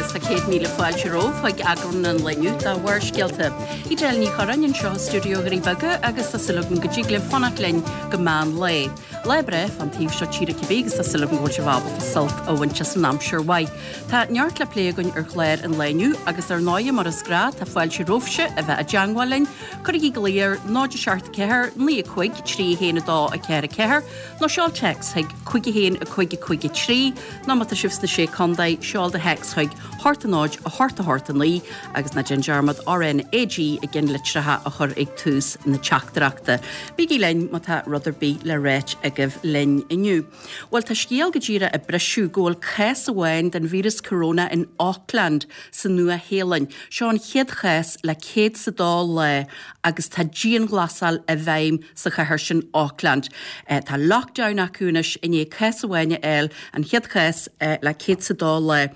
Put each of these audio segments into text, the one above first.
agus tá 100,000 fáilte romhaibh chuig eagrán an lae inniu de Bharrscéalta. Edel Ní Churráin anseo i stiúideo Dhoirí Beaga agus tá súil agam go dtig libh fanacht linn go meán lae. Lá breá fán taobh seo tíre cibé agus tá súil agam go bhfuil sibh ábalta sult a bhaint as an aimsir mhaith. Tá neart le plé againn ar chlár an lae inniu agus ar ndóighe mar is gnáth tá fáilte romhaibhse a bheith i dteangmháil linn. Cuirigí glao ar 0 7 4 9 5 3 1 2 4 4 nó seol téacs chuig 5 1 5 5 3 nó má tá sibh sna Sé Contae, seol do théacs chuig 8 0 8 8 9 agus ná déan dearmad RnaG i gceannlitreacha a chur ag tús na teachtaireachta. Bígí linn má tá rud ar bith le ráit agaibh linn inniu. Bhuel, tá scéal go díreach ag briseadh go bhfuil cás amháin den víreas corona in Auckland sa Nua-Shéalainn. Seo an chéad chás le 102 lá agus tá dianghlasáil i bhfeidhm sa chathair sin Auckland. Tá lockdown acu anois i ndiaidh cás amháin a fháil, an chéad chás le 102 lá.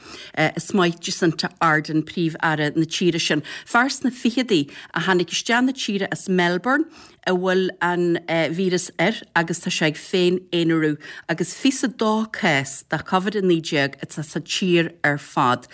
Is maith Jacinda Ardern, Príomh-Aire na tíre sin. Fear sna ficheadaí a tháinig isteach na tíre as Melbourne a bhfuil an víreas air agus tá sé ag féin-aonarú agus 22 cás de Covid-19 atá sa tír ar fad,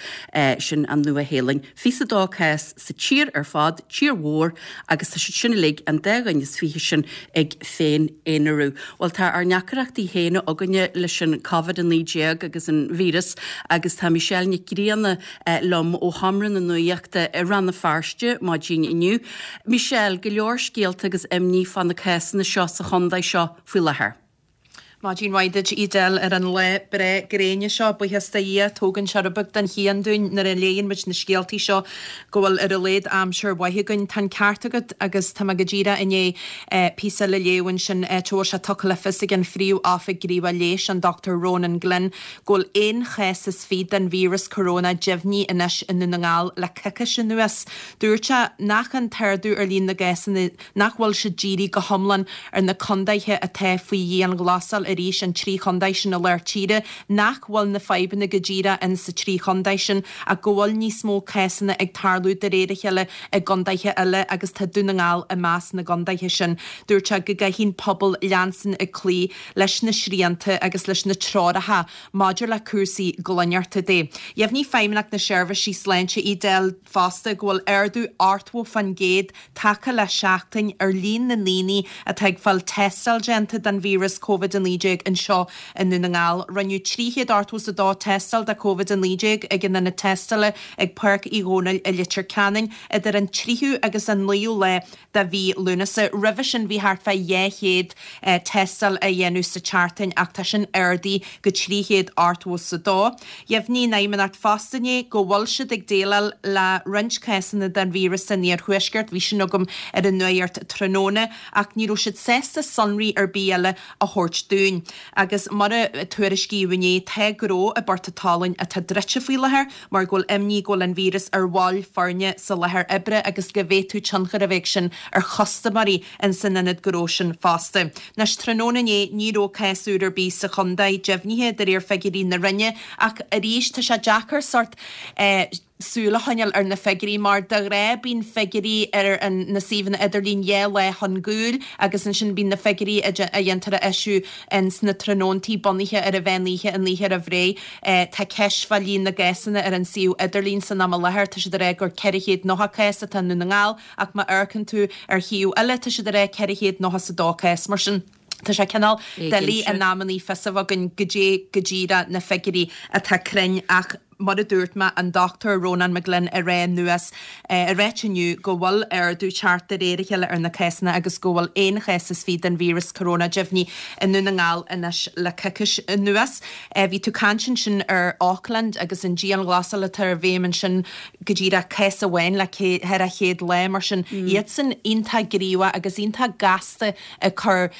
sin an Nua-Shéalainn. 22 cás sa tír ar fad, tír mhór, agus tá siad sin uilig, an dá dhuine is fiche sin, ag féin-aonarú. Bhuel, tá ár ndeacaireachtaí féin againne leis an Covid-19 agus an víreas agus tá Michelle Nic Grianna liom ó Sheomra na Nuachta i Rann na Feirste maidin inniu. Michelle, go leor scéalta agus imní fá na cásanna seo sa chontae seo faoi láthair. Maidin mhaith duit, Edel, ar an lá breá gréine seo. Buíochas do Dhia, tógann sé rud beag den chian dúinn nuair a léigheann muid na scéaltaí seo go bhfuil ar a laghad aimsir mhaith againn. Tá an ceart agat agus tá mé go díreach i ndiaidh píosa eile a léamh ansin, áit a bhfuil sé tugtha le fios ag an Phríomh-Oifig Gníomhach Leighis, an Dr Ronan Glynn, go bhfuil aon chás is fiche den víreas corona deimhnithe anois i nDún na nGall le coicís anuas. Dúirt sé nach an t-ardú ar líon na gcásanna nach bhfuil sé dírithe go hiomlán ar na condaetha atá faoi dhianghlasáil arís, an trí chondae sin i lár tíre, nach bhfuil na fadhbanna go díreach in sa trí chondae sin ach go bhfuil níos mó cásanna ag tarlú de réir a chéile i gcondaetha eile agus tá Dún na nGall i measc na gcondaetha sin. Dúirt sé go gcaithfidh an pobal leanstan ag cloí leis na srianta agus leis na treoracha maidir le cúrsaí glaineachta de. Dheimhnigh Feidhmeannacht na Seirbhísí Sláinte, Edel, fosta go bhfuil ardú 80% tagtha le seachtain ar líon na ndaoine atá ag fáil tástáil déanta don víreas Covid-19 anseo i nDún na nGall. Rinneadh 382 tástáil do Covid-19 ag an ionad tástála ag Páirc Uí Dhónaill i Leitir Ceanainn idir an tríú agus an naoú lá de mhí Lúnasa. Roimhe sin bhí thart fá 200 tástáil á dhéanamh sa tseachtain ach tá sin ardaithe go 382. Dheimhnigh an Fheidhmeannacht fosta inné go bhfuil siad ag déileáil le roinnt cásanna den víreas san iarthuaisceart, bhí sin agam ar an nuacht tráthnóna, ach ní raibh siad sásta sonraí ar bith eile a thabhairt dúinn. Agus mar a tuairiscíodh inné, tá gnó i bPort a' tSalainn atá druidte faoi láthair mar go bhfuil imní go bhfuil an víreas ar bhaill foirne sa láthair oibre agus go bhféadfadh tionchar a bheith ag sin ar chustaiméirí ins an ionad gnó sin fosta. Anois, tráthnóna inné, ní raibh cás úr ar bith sa chontae deimhnithe de réir figiúirí na Roinne ach arís tá sé deacair sórt eh súil a choinneáil ar na figiúirí mar de ghnáth bíonn figiúirí ar an na suíomhanna idirlín dhá lá chun gcúil agus ansin bíonn na figiúirí a dhéantar a eisiú ins na tráthnóntaí bunaithe ar an mheán oíche an oíche roimh ré. Tá ceist fá líon na gcásanna ar an suíomh idirlín san am i láthair, tá siad ag rá gur 490 cás atá i nDún na nGall Ach má amharcann tú ar shuíomh eile tá siad ag rá 492 cás. Mar sin, tá sé cineál doiligh in amannaí fios a bheith againn goidé go díreach na figiúirí atá cruinn ach mar a dúirt mé, an Dr Rónán McGlynn ag rá anuas ag ráit inniu go bhfuil ardú teacht de réir a chéile ar na cásanna agus go bhfuil aon chás is fiche den víreas corona deimhnithe i nDún na nGall anois le coicís anuas. Bhí tú ag caint ansin ar Auckland agus an dianghlasáil atá i bhfeidhm ansin. go díreach cás amháin le ceithre chéad lá, mar sin iadsan iontach gníomhach agus iontach gasta ag cur,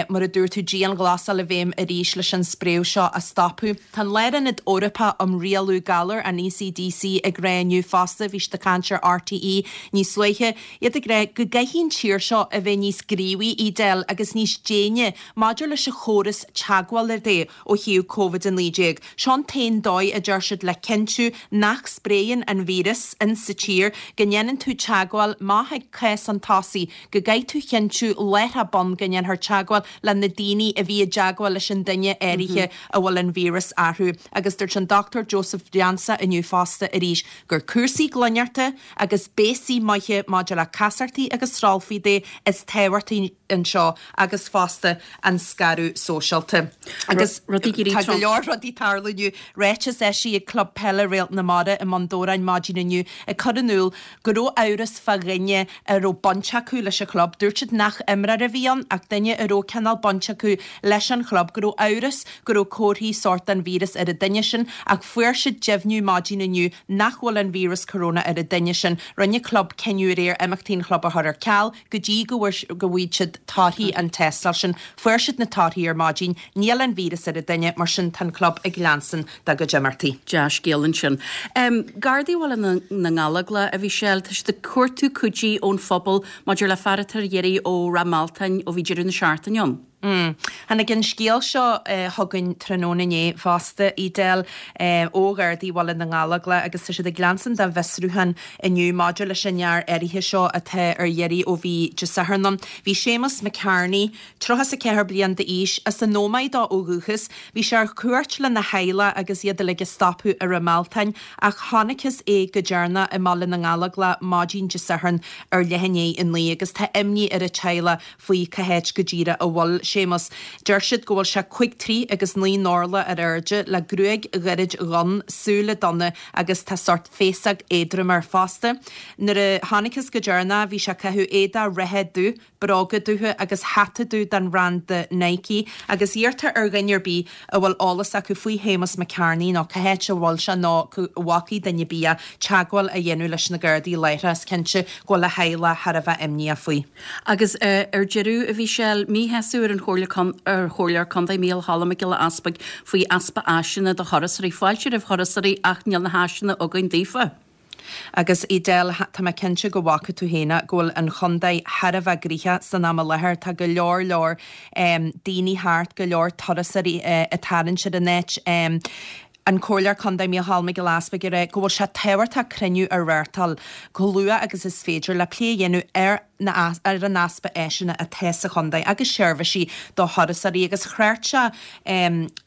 mar a dúirt tú, dianghlasáil i bhfeidhm arís leis an spréadh seo a stopadh. Tá an Lárionad Eorpach um Rialú Galar, an ECDC, ag rá inniu fosta, bhí siad ag caint ar RTÉ níos luaithe, iad ag rá go gcaithfidh an tír seo a bheith níos gníomhaí, Edel, agus níos déine maidir leis an chóras teagmhála de. ó thaobh Covid-19. Seo an t-aon dóigh, a deir siad, le cinntiú nach spréann an víreas in sa tír, go ndéanann tú teagmháil, má thig cás chun tosaigh, go gcaithfidh tú chinntiú láithreach bonn go ndéanfar teagmháil le na daoine a bhí i dteagmháil leis an duine áirithe a bhfuil an víreas orthu. Agus dúirt an Dr Joseph. leansaí inniu fosta arís gur cúrsaí glaineachta agus béasaí maithe maidir le casachtaí agus srolfaí de is tábhachtaí anseo agus fosta an scaradh sóisialta. Agus tá go leor rudaí ag tarlú inniu. Ráiteas eisithe ag Club Peile Réalt na Mara i mBun Dobhráin maidin inniu ag cur in iúl go raibh amhras fá dhuine a raibh baint acu leis an chlub. Dúirt siad nach imreoir a bhí ann ach duine a raibh cineál baint acu leis an chlub, go raibh amhras go raibh comharthaí sóirt den víreas ar an duine sin ach fuair siad deimhniú maidin inniu nach bhfuil an víreas corona ar an duine sin. Rinne an club cinneadh aréir imeachtaí an chlub a chur ar ceal go dtí go bhfaighidh siad torthaí an tástáil sin. Fuair siad na torthaí ar maidin, níl an víreas ar an duine, mar sin tá an club ag leanstan dá gcuid imeachtaí. Dea-scéal ansin. Gardaí Bhaile na nGallóglach, a Mhichelle, tá siad ag cuartú cuidí ón phobal maidir le fear atá ar iarraidh ó Ráth Mealtain ó bhí deireadh na seachtaine ann. Tháinig an scéal seo chugainn tráthnóna inné fosta, Edel, ó Ghardaí Bhaile na nGallóglach agus tá siad ag leanstan dá bhfiosrúchán inniu maidir leis an fhear áirithe seo atá ar iarraidh ó bhí Dé Sathairn ann. Bhí Séamus McCarney, 34 bliain d'aois, as an Ómaigh dó ó dhúchas. Bhí sé ar cuairt lena theaghlach agus iad uilig ag stopadh i Ráth Mealtain ach chonacthas é go deireanach i mBaile na nGallóglach maidin Dé Sathairn ar leath i ndiaidh a 9 agus tá imní ar an teaghlach faoi cá háit go díreach a bhfuil Séamus. Deir siad go bhfuil sé cuig troigh agus 9 n-orlach ar airde, le gruaig ghairid dhonn, súile donna agus tá sórt féasóg éadrom air fosta. Nuair a chonacthas go deireanach bhí sé ag caitheamh éadach reithe dubh, bróga dubha agus hata dubh den bhranda Nike agus iarrtar ar dhuine ar bith a bhfuil eolas acu faoi Shéamus McCarney nó cá háit a bhfuil sé nó cá bhfacaidh duine ar bith é, teagmháil a dhéanamh leis na Gardaí láithreach. Is cinnte go bhfuil a theaghlach thar a bheith imníoch faoi. Agus ar deireadh, a Mhichelle, míshásamh ar an Chomhairle ar Chomhairleoir Contae Mícheál Cholm Mac Giolla Easpaig faoi easpa áiseanna do thurasóirí. Fáilte roimh thurasóirí ach níl na háiseanna againn daofa. Agus Edel, tá mé cinnte go bhfaca tú féin go bhfuil an chontae thar a bheith gnoitheach san am i láthair. Tá go leor leor daoine thart, go leor turasóirí ag tarraingt ar an áit. An Comhairleoir Contae Mícheál Mac Giolla Easpaig ag rá go bhfuil sé tábhachtach cruinniú a reáchtáil chomh luath agus is féidir le plé a dhéanamh ar na ar an easpa áiseanna atá sa chontae agus seirbhísí do thurasóirí agus thrácht sé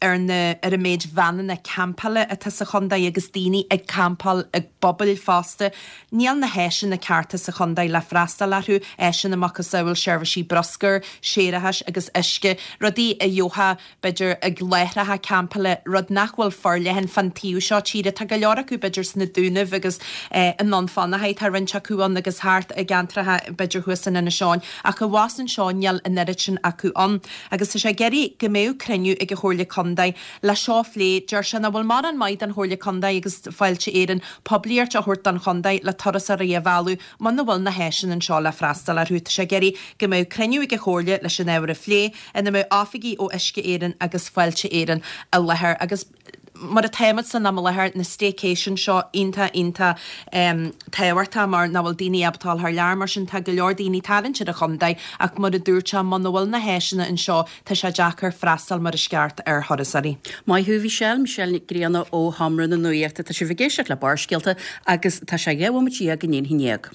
ar na ar an méid veaineanna campála atá sa chontae agus daoine ag campáil i bpubaill fosta. Níl na háiseanna cearta sa chontae le freastal orthu, áiseanna macasamhail seirbhísí bruscair, séarachais agus uisce, rudaí a gheofá b'fhéidir, ag láithreacha campála, rud nach bhfuil forleathan fán taobh seo tíre. Tá go leor acu, b'fhéidir, sna Dúnaibh agus i nDún Fionnachaidh, tá roinnt acu ann agus thart i gceantracha, b'fhéidir, thuas in Inis Eoghain, ach abhus anseo níl an oiread sin acu ann. Agus tá sé ag iarraidh go mbeadh cruinniú ag an Chomhairle Contae le seo a phlé. Deir sé nach bhfuil mórán maith don Chomhairle Contae agus Fáilte Éireann poiblíocht a thabhairt don chontae le turasóirí a mhealladh Muna bhfuil na háiseanna anseo le freastal orthu, tá sé ag iarraidh go mbeadh cruinniú ag an Chomhairle leis an ábhar a phlé, ina mbeadh oifigigh ó Uisce Éireann agus Fáilte Éireann i láthair. Agus mar atáimid san am i láthair, na staycation seo iontach, iontach tábhachtach mar nach bhfuil daoine ábalta dul thar lear, mar sin tá go leor daoine ag tarraingt ar an chontae ach mar a dúirt sé, muna bhfuil na háiseanna anseo, Tá sé deacair freastal mar is ceart ar thurasóirí. Maith thú, Mhichelle, Michelle Nic Grianna ó Sheomra na Nuachta. Tá sibh ag éisteacht le Barrscéalta agus tá sé 12 bhomaite i ndiaidh a haon déag.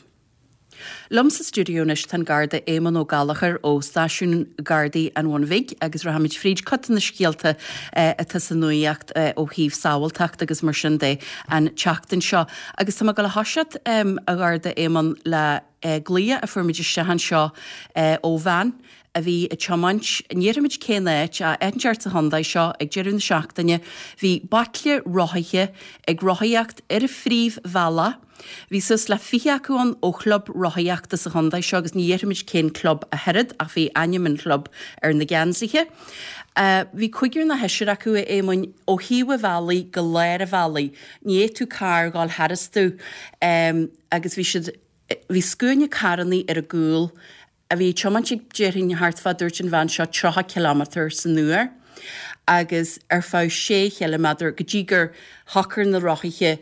Liom sa stiúideo anois tá an Garda Éamonn Ó Gallchóir ó Stáisiún Gardaí an Bhun Bhig agus rachaimid fríd cuid de na scéalta atá sa nuacht ó thaobh sábháilteachta agus mar sin de an tseachtain seo. Agus tá mé ag dul a thoiseacht, a Gharda Éamonn, le glaoch a fuair muid isteach anseo ó bhean a bhí ag tiomáint, ní déarfaimid cén áit, ach áit inteacht sa chontae seo ag deireadh na seachtaine. Bhí baicle rothaithe ag rothaíocht ar an phríomhbhealach. Bhí suas le 20 acu ann ó chlub rothaíochta sa chontae seo agus ní déarfaimid cén club ach oiread ach bhí ainm an chlub ar na geansaithe. Bhí cúigear nó seisear acu, a Éamoinn, ó thaobh an bhealaigh go lár an bhealaigh. Ní fhéadfadh carr dhul tharastu agus bhí siad, bhí scuaine carrannaí ar a gcúl. a bhí ag tiomáint ag, déarfainn, thart fá, dúirt an bhean seo, 30 cileámetar san uair agus ar feadh sé chiliméadar go dtí gur shocair na rothaithe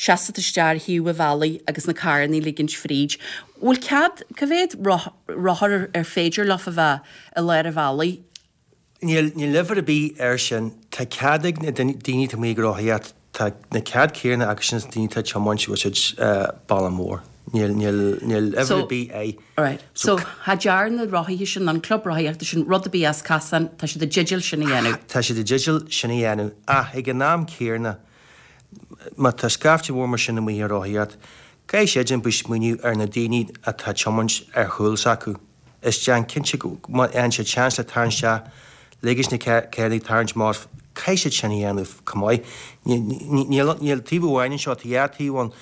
seasamh isteach ar thaobh an bhealaigh agus na carrannaí ligint fríd. Bhfuil cead, cá mhéad rothar ar féidir leofa bheith i lár an bhealaigh? Níl, níl uimhir ar bith air sin. Tá cead ag na daoine atá amuigh ag rothaíocht, tá na cead céanna acu sin is na daoine atá ag tiomáint bhfuil siad bealach mór. Níl, níl, níl uimhir ar bith air. Alright. So, cha dtearn na rothaithe sin, an club rothaíochta sin, rud ar bith as casán, tá siad i dteideal sin a dhéanamh. Tá siad i dteideal sin a dhéanamh. Ach ag an am céanna. Má tá scaifte mhór mar sin amuigh ag rothaíocht, caithfidh siad bheith ag smaoineamh ar na daoine atá ag tiomáint ar chúl s'acu. Is déan cinnte go, má fhaigheann siad seans le tarraingt isteach, ligfidh na carranna tarraingt amach, caithfidh siad sin a dhéanamh chomh maith. Níl taobh amháin anseo, tá dhá thaobh ann.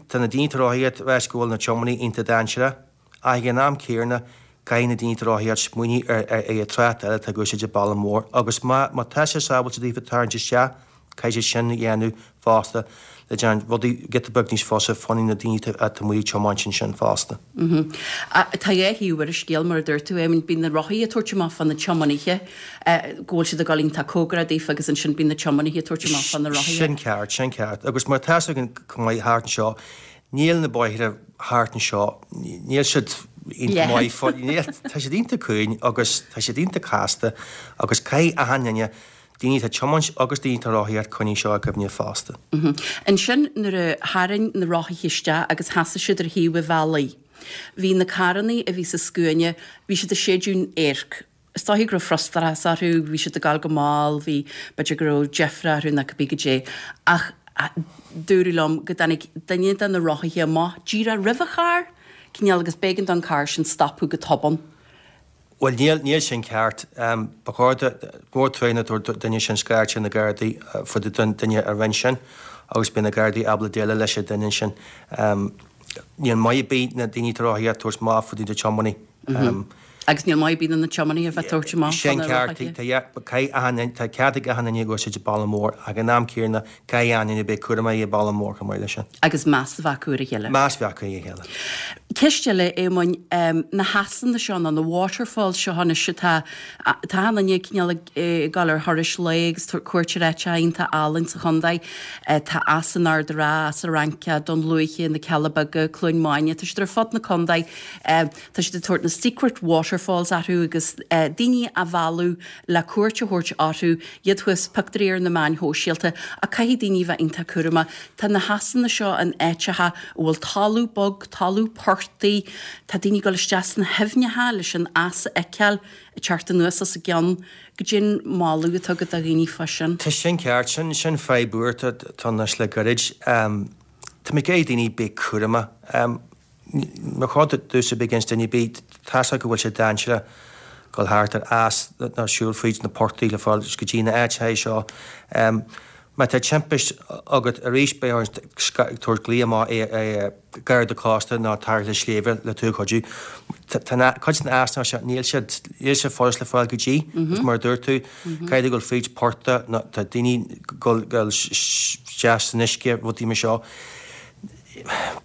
Tá na daoine atá ag rothaíocht ag ráit go bhfuil na tiománaithe iontach dainséarach. Ach ag an am céanna, caithfidh na daoine atá ag rothaíocht smaoineamh ar an trácht eile atá ag úsáid an bealach mór agus má tá sé sábháilte daofa tarraingt isteach, caithfidh siad sin a dhéanamh fosta le déanamh rudaí giota beag níos fusa fá choinne na daoine atá amuigh ag tiomáint ansin fosta. Tá dhá thaobh ar an scéal, mar a dúirt tú, Éamonn. Bíonn na rothaithe ag tabhairt amach fá na tiománaithe, go bhfuil siad ag dul iontach cóngarach daofa agus ansin bíonn na tiománaithe ag tabhairt amach fá na rothaithe. Sin ceart, sin ceart. Agus mar tá a fhios againn chomh maith thart anseo, Níl na bóithre thart anseo, níl siad iontach maith, níl, tá siad iontach cúng agus tá siad iontach casta agus caithfidh achan duine, daoine atá ag tiomáint agus daoine atá ag rothaíocht, coinnigh seo i gcuimhne fosta. Ansin nuair a tharraing na rothaithe isteach agus sheasaigh siad ar thaobh an bhealaigh, bhí na carrannaí a bhí sa scuaine, bhí siad ag séideadh an adhairc. Is dóichí go raibh frustrachas orthu, bhí siad ag gabháil go mall, bhí, b'fhéidir go raibh deifre orthu nó cibé goidé. Ach dúradh liom go dtáinig duine de na rothaithe amach díreach roimh an charr, cineál, agus b'éigean don charr sin stopadh go tobann. Bhuel, níl, níl sin ceart. Ba chóir do, mór trua na duine sin scairt ar na Gardaí fá dtaobh den duine a rinne sin agus beidh na Gardaí ábalta déileáil leis an duine sin. Níl maith ar bith na daoine atá ag rothaíocht tabhairt amach fá dtaobh de tiománaí. Agus níl maith ar bith do na tiománaithe a bheith ag tabhairt amach Sin fá na ceart. rothaithe. Tá cead ag achan duine ag úsáid an bealach mór ach ag an am céanna caithfidh achan duine bheith cúramach ar an bealach mór chomh maith leis sin. Agus meas a bheith acu ar a chéile. Meas a bheith acu ar a chéile. Ceist eile, Éamoinn, na heasanna seo nó na waterfalls seo anois atá, tá achan duine cineál ag dul ar thurais lae agus tabhairt cuairt ar áiteacha iontach álainn sa chontae. Tá Eas an Ard Ratha, Eas an Fhraince, Dún Lúiche, na Cealla Beaga, Cluain Maine, tá siad ar fud na contae. Tá siad ag tabhairt na secret waterfalls orthu agus daoine á mhealladh le cuairt a thabhairt orthu, iad thuas, pictiúirí ar na meáin shóisialta, ach caithfidh daoine bheith iontach cúramach. Tá na heasanna seo in áiteacha a bhfuil talamh bog, talamh portaigh, tá daoine ag dul isteach sna haibhneacha leis an eas a fheiceáil ag teacht anuas os a gcionn. Goidé an moladh atá agat do dhaoine fá sin. Tá sin ceart, sin, sin fadhb úr atá anois le gairid. Tá mé ag iarraidh daoine bheith cúramach. Ba chóir domhsa bheith ag insint duine ar bith, tá's acu go bhfuil sé dainséarach dul thart ar eas nó siúl fríd na portaigh le fáil go dtí na áiteacha seo. Má tá timpist agat arís beidh ort ag tabhairt glaoch amach ar Garda Cósta nó Tarrthálaithe Sléibhe le tú a chuidiú. Tá cuid de na easanna seo, níl siad, níl sé furast le fáil go dtí, agus mar a dúirt tú, caithfidh tú dul fríd portach nó tá daoine ag dul isteach san uisce, rudaí mar seo.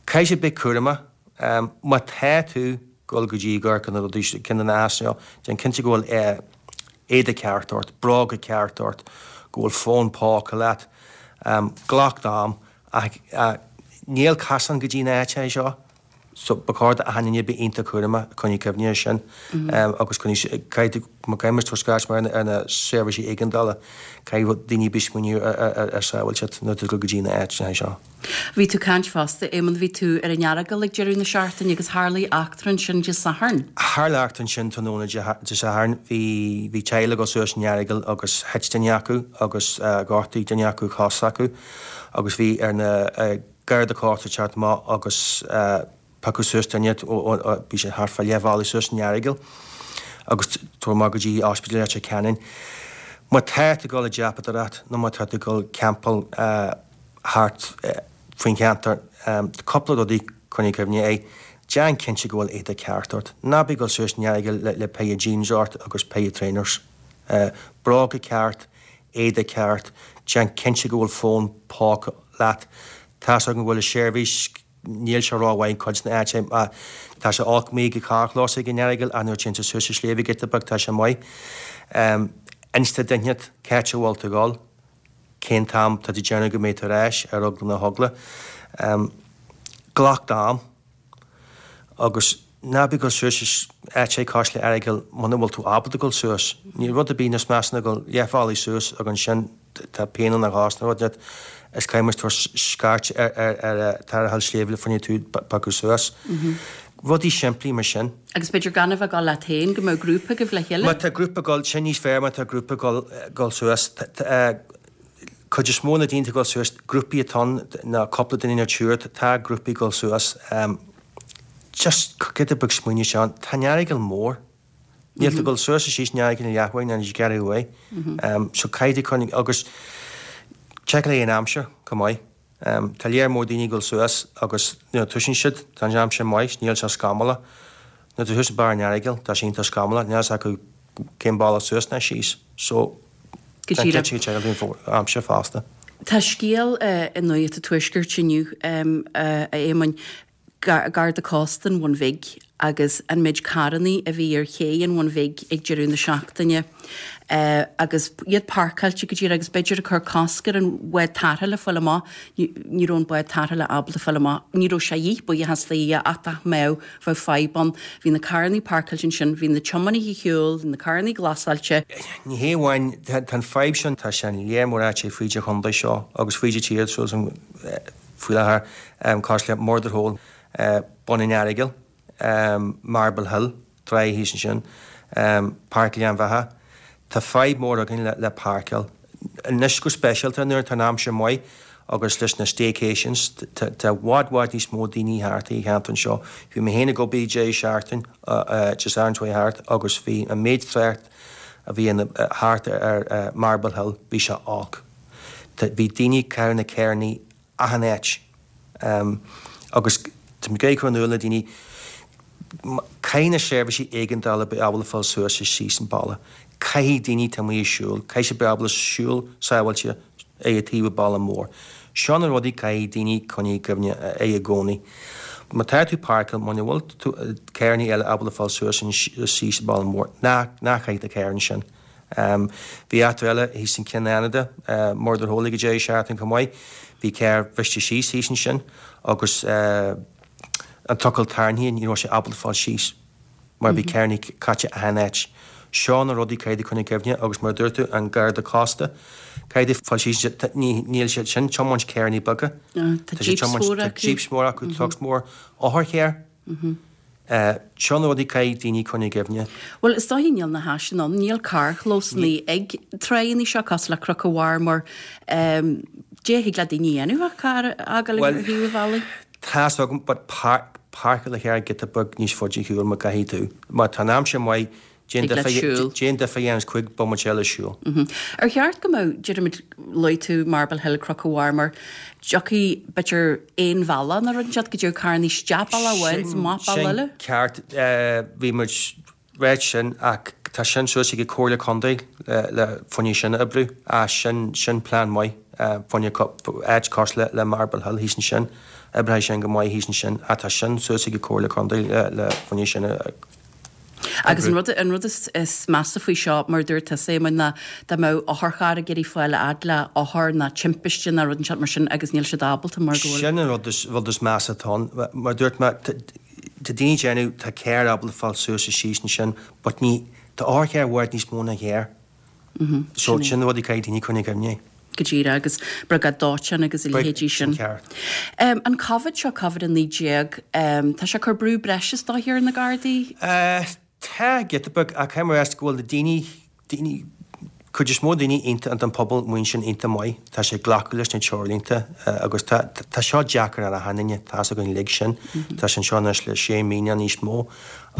Caithfidh siad bheith cúramach. Má tá tú ag dul go dtí ag amharc ar na rudaí, ceann de na easanna seo, déan cinnte go bhfuil éide ceart ort, bróga ceart ort, go bhfuil fón póca leat. Glac d'am ach níl casán go dtí na áiteacha seo. So ba chóir d'achan duine bheith iontach cúramach, coinnigh cuimhne air sin agus coinnigh, caithfidh tú, má caithfidh muid tabhairt scairt mar ar na seirbhísí éigeandála, caithfidh daoine bheith smaoineamh ar sábháilteacht nuair atá tú ag dul go dtí na áiteanna seo. Bhí tú ag caint fosta, Éamonn, bhí tú ar an Earagail ag deireadh na seachtaine agus tharlaigh eachtra ansin Dé Sathairn. Tharla eachtra ansin tráthnóna Dé Sathairn. Bhí, bhí teaghlach ag dul suas an Earagail agus thit duine acu agus ghortaigh duine acu cos s'acu agus bhí ar na, Garda Cósta teacht amach agus piocadh suas duine, bhí sé thart fá leath bhealaigh suas an Earagail agus tabhairt amach go dtí Ospidéal Leitir Ceanainn. Má tá tú ag dul ag dreapadóireacht nó má tá tú ag dul campáil thart faoin cheantar, cúpla rudaí coinnigh cuimhne air, déan cinnte go bhfuil éide ceart ort. Ná bí ag dul suas an Earagail le péire jeans ort agus péire trainers. Bróga ceart, éide ceart, déan cinnte go bhfuil fón póca leat. Tá's agam go bhfuil an seirbhís, níl sé rómhaith in cuid de na áiteacha, tá sé olc amuigh ag an carrchlós ag an Earagail ach nuair a téann tú suas an sléibhe giota beag tá sé maith. Inis do dhuine inteacht cá háit a bhfuil tú ag dul, cén t-am tá tú ag déanamh go mbeidh tú ar ais ar eagla na heagla. Glac d'am. Agus ná bí ag dul suas áiteacha cosúil le Earagail muna bhfuil tú ábalta dul suas. Níl rud ar bith níos measa ná dul leathbhealaigh suas agus ansin tá pian in do chos nó rud inteacht is caithfidh muid tabhairt scairt ar ar tarrtháil sléibhe le fá choinne tú a phiocadh suas. Rudaí simplí mar sin. Agus b'fhéidir gan a bheith ag dul leat féin, go mbeadh grúpa agaibh le chéile? Má tá grúpa ag dul, sin níos fearr má tá grúpa ag dul suas. Cuid is mó na daoine atá ag dul suas, grúpaí atá ann, nó cúpla duine nó triúr, tá grúpaí ag dul suas. Just giota beag smaoineamh ansin, tá an Earagail mór. Níl tú ag dul suas is síos an Earagail in leathuair ná níos giorra uaidh. So caithfidh tú coinneáil agus seiceáil an aimsir chomh maith. Tá léar mór daoine ag dul suas agus nuair a tosaíonn siad, tá an aimsir maith, níl sé scamallach. Nuair atá tú thuas ag barr an Earagail, tá sé iontach scamallach, níl a fhios acu cén bealach suas ná síos. So, Go díreach. Seiceáil an aimsir fosta. Tá scéal i Nuacht an Tuaiscirt inniu, a Éamoinn, Garda Cósta an Bhun Bhig agus an méid carrannaí a bhí ar ché an Bhun Bhig ag deireadh na seachtaine agus iad páirceáilte go díreach agus b'fhéidir ag cur cosc ar an bhád tarrthála fáil amach, ní raibh an bád tarrthála ábalta fáil amach, ní raibh sé a dhíth, buíochas do Dhia, ach dá mbeadh, bheadh fadhb ann. Bhí na carrannaí páirceáilte ansin, bhí na tiománaithe ar shiúl, bhí na carrannaí glasáilte. Ní hé amháin, tá an fadhb sin, tá sé in léar mór áiteacha fríd an chontae seo agus fríd an tír, so faoi láthair, cosúil le Murder Hole, Bun an Earagail, Marble Hill, tráigh thíos ansin, Páirc Ghleann Bheatha. Tá fadhb mór againn le páirceáil. Anois go speisialta nuair atá an aimsir maith agus leis na staycations, tá i bhfad bhfad níos mó daoine thart i cheantar anseo. Bhí mé féin ag obair deireadh seachtain Dé Sathairn seo thart agus bhí an méid trácht a bhí thart ar Marble Hill, bhí sé olc. Bhí daoine ag caitheamh na carrannaí achan áit agus tá mé ag cur in iúl na daoine, caithfidh na seirbhísí éigeandála bheith ábalta fáil suas is síos an bealach. Caithfidh daoine atá amuigh ag siúl, caithfidh siad bheith ábalta siúl sábháilte ag an taobh an bealach mór. Seo na rudaí caithfidh daoine coinneáil i gcuimhne é i gcónaí. Má tá tú páirceáil, muna bhfuil tú carrannaí eile ábalta fáil suas is síos an bealach mór, ná ná caith do charr ansin. Bhí eachtra eile thíos in Cionn Fhánada, Murder Hole ag an deireadh seachtaine chomh maith. Bhí carr bhriste síos thíos ansin agus an trucail tarraingthe, ní raibh sé ábalta fáil síos mar bhí carrannaí caite achan áit. Seo na rudaí caithfidh tú coinneáil i gcuimhne agus mar a dúirt tú, an Garda Cósta, caithfidh tú fáil síos ansin, níl siad sin tiomáint carrannaí beaga. Tá jeeps móra acu. Tá jeeps móra acu, trucks mór, otharcharr. Seo na rudaí caithfidh daoine coinneáil i gcuimhne. Bhuel, is dóiche níl na háiseanna ann, níl carrchlósanna ag tráigheanna seo cosúil le Cnoc an Mharmair. Dé thig le daoine a dhéanamh ach carr a fhágáil ar thaobh an bhealaigh? Tá's agam, but páirceáil do charr giota beag níos faide ar shiúl má caithfidh tú. Má tá an aimsir maith, Déan difear a dhéanamh 5 bomaite eile siúil. Ar cheart go mbeadh, deirimid, luaigh tú Marble Hill, Cnoc an Mharmair, dtiocfaidh, b'fhéidir, aon bhealach nó rud inteacht go dtiocfadh carrannaí isteach bealach amháin is amach bealach eile? Sin ceart. Bhí muid ráit sin ach tá sin suas ag an Comhairle Contae le fá choinne sin a oibriú. Ach sin, sin plean maith fá choinne áit cosúil le Marble Hill thíos ansin. Oibreoidh sin go maith thíos ansin ach tá sin suas ag an Comhairle Contae le fá choinne sin a Agus an rud, an rud is, is measa faoi seo, mar a dúirt tusa, Éamoinn, ná dá mbeadh otharcharr ag iarraidh fáil a fhad le othar ná timpiste ná rud inteacht mar sin agus níl siad ábalta mar go bhfuil. Sin an rud is, rud is measa atá ann. Mar a dúirt mé, tá daoine ag déanamh, tá carr ábalta fáil suas is síos ansin, but ní, tá otharcharr i bhfad níos mó ná carr. So sin rud a caithfidh daoine coinneáil i gcuimhne. Go díreach, agus briogáid dóiteáin agus a leithéidí sin. An Covid seo, Covid-19, tá sé ag cur brú breise is dóiche ar na Gardaí? Tá, giota beag, ach caithfidh mé a rá go bhfuil na daoine, daoine, cuid is mó daoine iontach, an pobal amuigh ansin iontach maith, tá sé ag glacadh leis na treoirlínte agus tá, tá seo deacair ar achan duine, tá's againn uilig sin, tá sé anseo anois le sé mí nó níos mó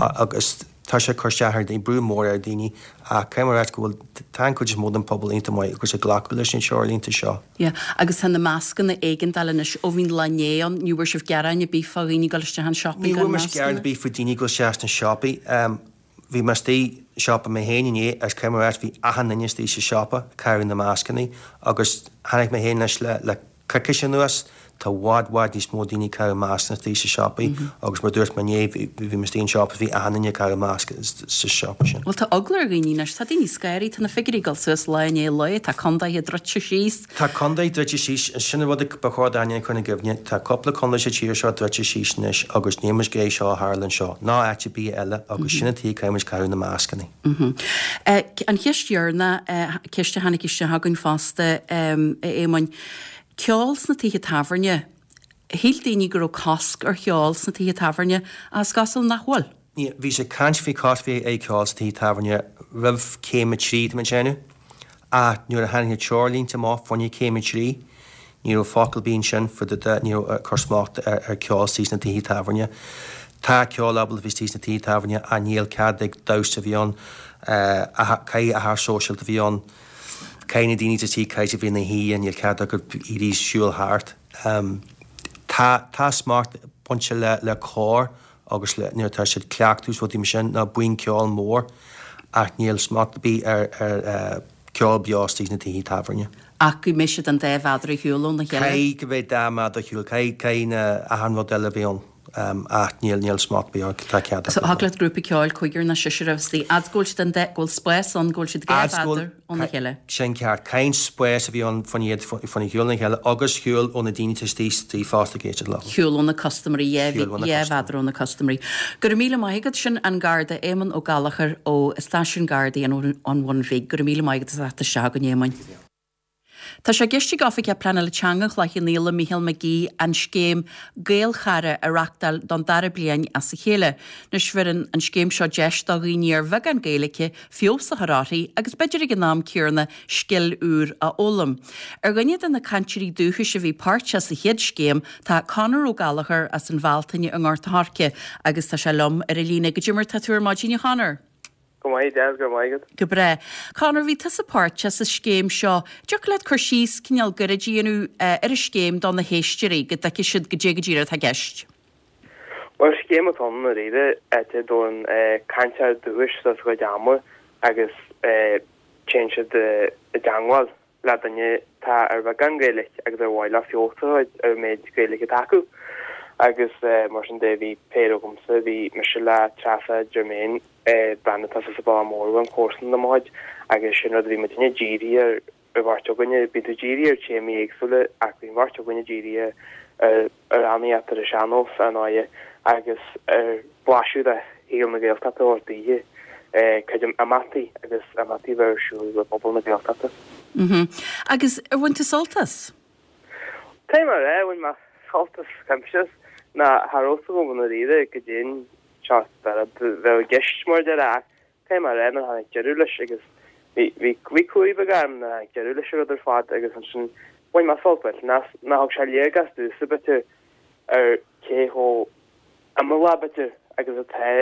agus Tá sé ag cur isteach ar daoine, brú mór ar daoine ach caithfidh mé a ráit go bhfuil, tá an cuid is mó den pobal iontach maith agus ag glacadh leis na treoirlínte seo. Yeah, agus tá na mascanna éigeandála anois ó bhí an lá inné ann, ní bhfuair sibh gearáin ar bith fá dhaoine ag dul isteach an siopaí Ní gan bhfuair muid gearán mascanna? ar bith faoi daoine ag dul isteach sna siopaí. Bhí mé istigh i siopa mé féin inné agus caithfidh mé a ráit bhí achan duine istigh sa siopa ag caitheamh na mascanna agus chonaic mé féin anois le, le coicís anuas, tá i bhfad, bhfad níos mó daoine ag caitheamh mascanna istigh sa siopaí agus mar a dúirt mé inné, bhí mé istigh in siopa is bhí achan duine ag caitheamh masc sa siopa sin. Bhuel tá eagla ar dhaoine anois, tá daoine scanraithe, tá na figiúirí ag dul suas lá i ndiaidh lae, tá condaetha druidte síos. Tá condae druidte síos, sin an rud ba chóir d'aon duine a chur ina gcuimhne, tá cúpla condae sa tír seo druidte síos anois agus níl muid ag iarraidh seo a tharla anseo, ná áit ar bith eile agus sin an tuige caithfidh muid caitheamh na mascanna. An cheist dheireanach, ceist a tháinig isteach againn fosta, a Éamoinn, ceol sna tithe tábhairne. Shíl daoine go raibh cosc ar cheol sna tithe tábhairne ach is cosúil nach bhfuil. Bhí sé ag caint faoi cosc bheith ag ceol sna tithe tábhairne roimh céim a 3, tá mé ag déanamh. Ach nuair a tháinig na treoirlínte amach fá choinne céim 3, ní raibh focal ar bith ansin fá dtaobh de, ní raibh ag cur smacht ar ceol istigh sna tithe tábhairne. Tá ceol ábalta bheith istigh sna tithe tábhairne ach níl cead ag damhsa a bheith ann, caithfidh achar sóisialta a bheith ann, caithfidh na daoine atá istigh, caithfidh siad bheith ina shuí, níl cead acu éirí siúl thart. Tá, tá smacht bainte le le cór agus le nuair atá siad ag cleachtadh is rudaí mar sin nó buíon ceoil mór ach níl smacht ar bith ar ar ceol beo istigh sna tithe tábhairne. Ach go mbeidh siad an dá mhéadar ar shiúl óna chéile. Caithfidh go mbeidh dá mhéadar ar shiúl, caithfidh caithfidh na achan rud eile a bheith ann ach níl níl smacht ar bith air, tá cead So acu. thig leat grúpa ceoil cúigear nó seisear a bheith istigh, fhad go bhfuil siad an dá, go bhfuil spás ann go bhfuil siad dhá Fhad go bhfuil mhéadar óna chéile. Sin ceart. Caithfidh an spás a bheith ann fá choinne iad fá choinne shiúl óna chéile agus shiúl ó na daoine atá istigh istigh fosta ag éisteacht leo. Shiúl ó na custaiméirí, dhá Shiúl ó na dhá mhéadar ó na custaiméirí. Go raibh míle maith agat, sin an Garda Éamonn Ó Gallchóir ó Stáisiún Gardaí an an Bhun Bhig. Go raibh míle maith agat as a theacht isteach chugainn, Éamoinn. Tá sé i gceist ag Oifigeach Pleanála Teanga Chloich Cheann Fhaola, Mícheál McGee, an scéim Gaelchara a reachtáil don dara bliain as a chéile. Anois bheireann an scéim seo deis do dhaoine ar bheagán Gaeilge feabhas a chur uirthi agus b'fhéidir ag an am céanna scil úr a fhoghlaim. Ar dhuine de na cainteoirí dúchais a bhí páirteach sa chéad scéim tá Conor Ó Gallchóir as an Bhealtaine i nGort a' Choirce agus tá sé liom ar an líne. Goidé mar tá tú ar maidin a Chonor? Go maith, Des, go raibh maith agat. Go breá. Conor, bhí tusa páirteach sa scéim seo. Dtiocfadh leat cur síos cineál gairid a dhéanamh ar an scéim do na héisteoirí, go dtuigfidh siad goidé go díreach atá i gceist? Bhuel, scéim atá ann i ndáiríre, áit a dtabharann cainteoir dúchais suas a gcuid ama agus téann siad i dteangmháil le duine atá ar bheagán Gaeilge agus ar mhaith leo feabhas a chur ar an méid Gaeilge atá acu. Agus mar sin de, bhí péire agamsa, bhí mise le Treasa Germain, bean atá sa Baile Mór uaim, comharsan de mo chuid, agus sin rud a bhí muidinne dírithe ar an bheirt againne. Bíonn tú dírithe ar téamaí éagsúla ach bhí an bheirt againne dírithe ar amhránaíocht ar an sean-nós, ar ndóighe, agus ar blaiseadh de shaol na Gaeltachta a thabhairt daoithe, cuid imeachtaí agus imeachtaí a bheith ar siúl i bpobal na Gaeltachta. Agus ar bhain tú sult as? Caithfidh mé a rá, bhain mé sult as cuimse ná cha raibh fhios agam i ndáiríre goidé an seort de rud a bheadh i gceist mar a déarfá ach caithfidh mé a rá nuair a tháinig deireadh leis agus bhí bhí bhí cumhaidh beag orm nuair a tháinig deireadh leis an rud ar fad agus ansin bhain mé sult millteanach as ná thug sé léargas domhsa b'fhéidir ar cé chomh imeallach b'fhéidir agus atá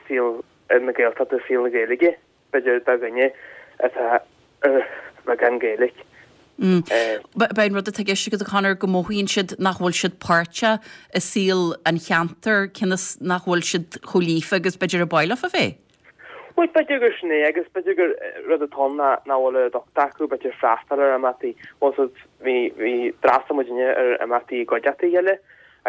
saol na Gaeltachta saol na Gaeilge b'fhéidir do dhuine atá ar bheagán Gaeilge. B'é an rud atá i gceist agat a Chonor go mothaíonn siad nach bhfuil siad páirteach i saol an cheantair cionn is nach bhfuil siad chomh líofa agus b'fhéidir a ba mhaith leofa bheith. Bhuel, b'fhéidir gur sin é agus b'fhéidir gur rud atá ann ná nach bhfuil an uchtach acu b'fhéidir freastal ar imeachtaí. Bhuel, so bhí, bhí, d'fhreastail muidinne ar imeachtaí i gcuideachta a chéile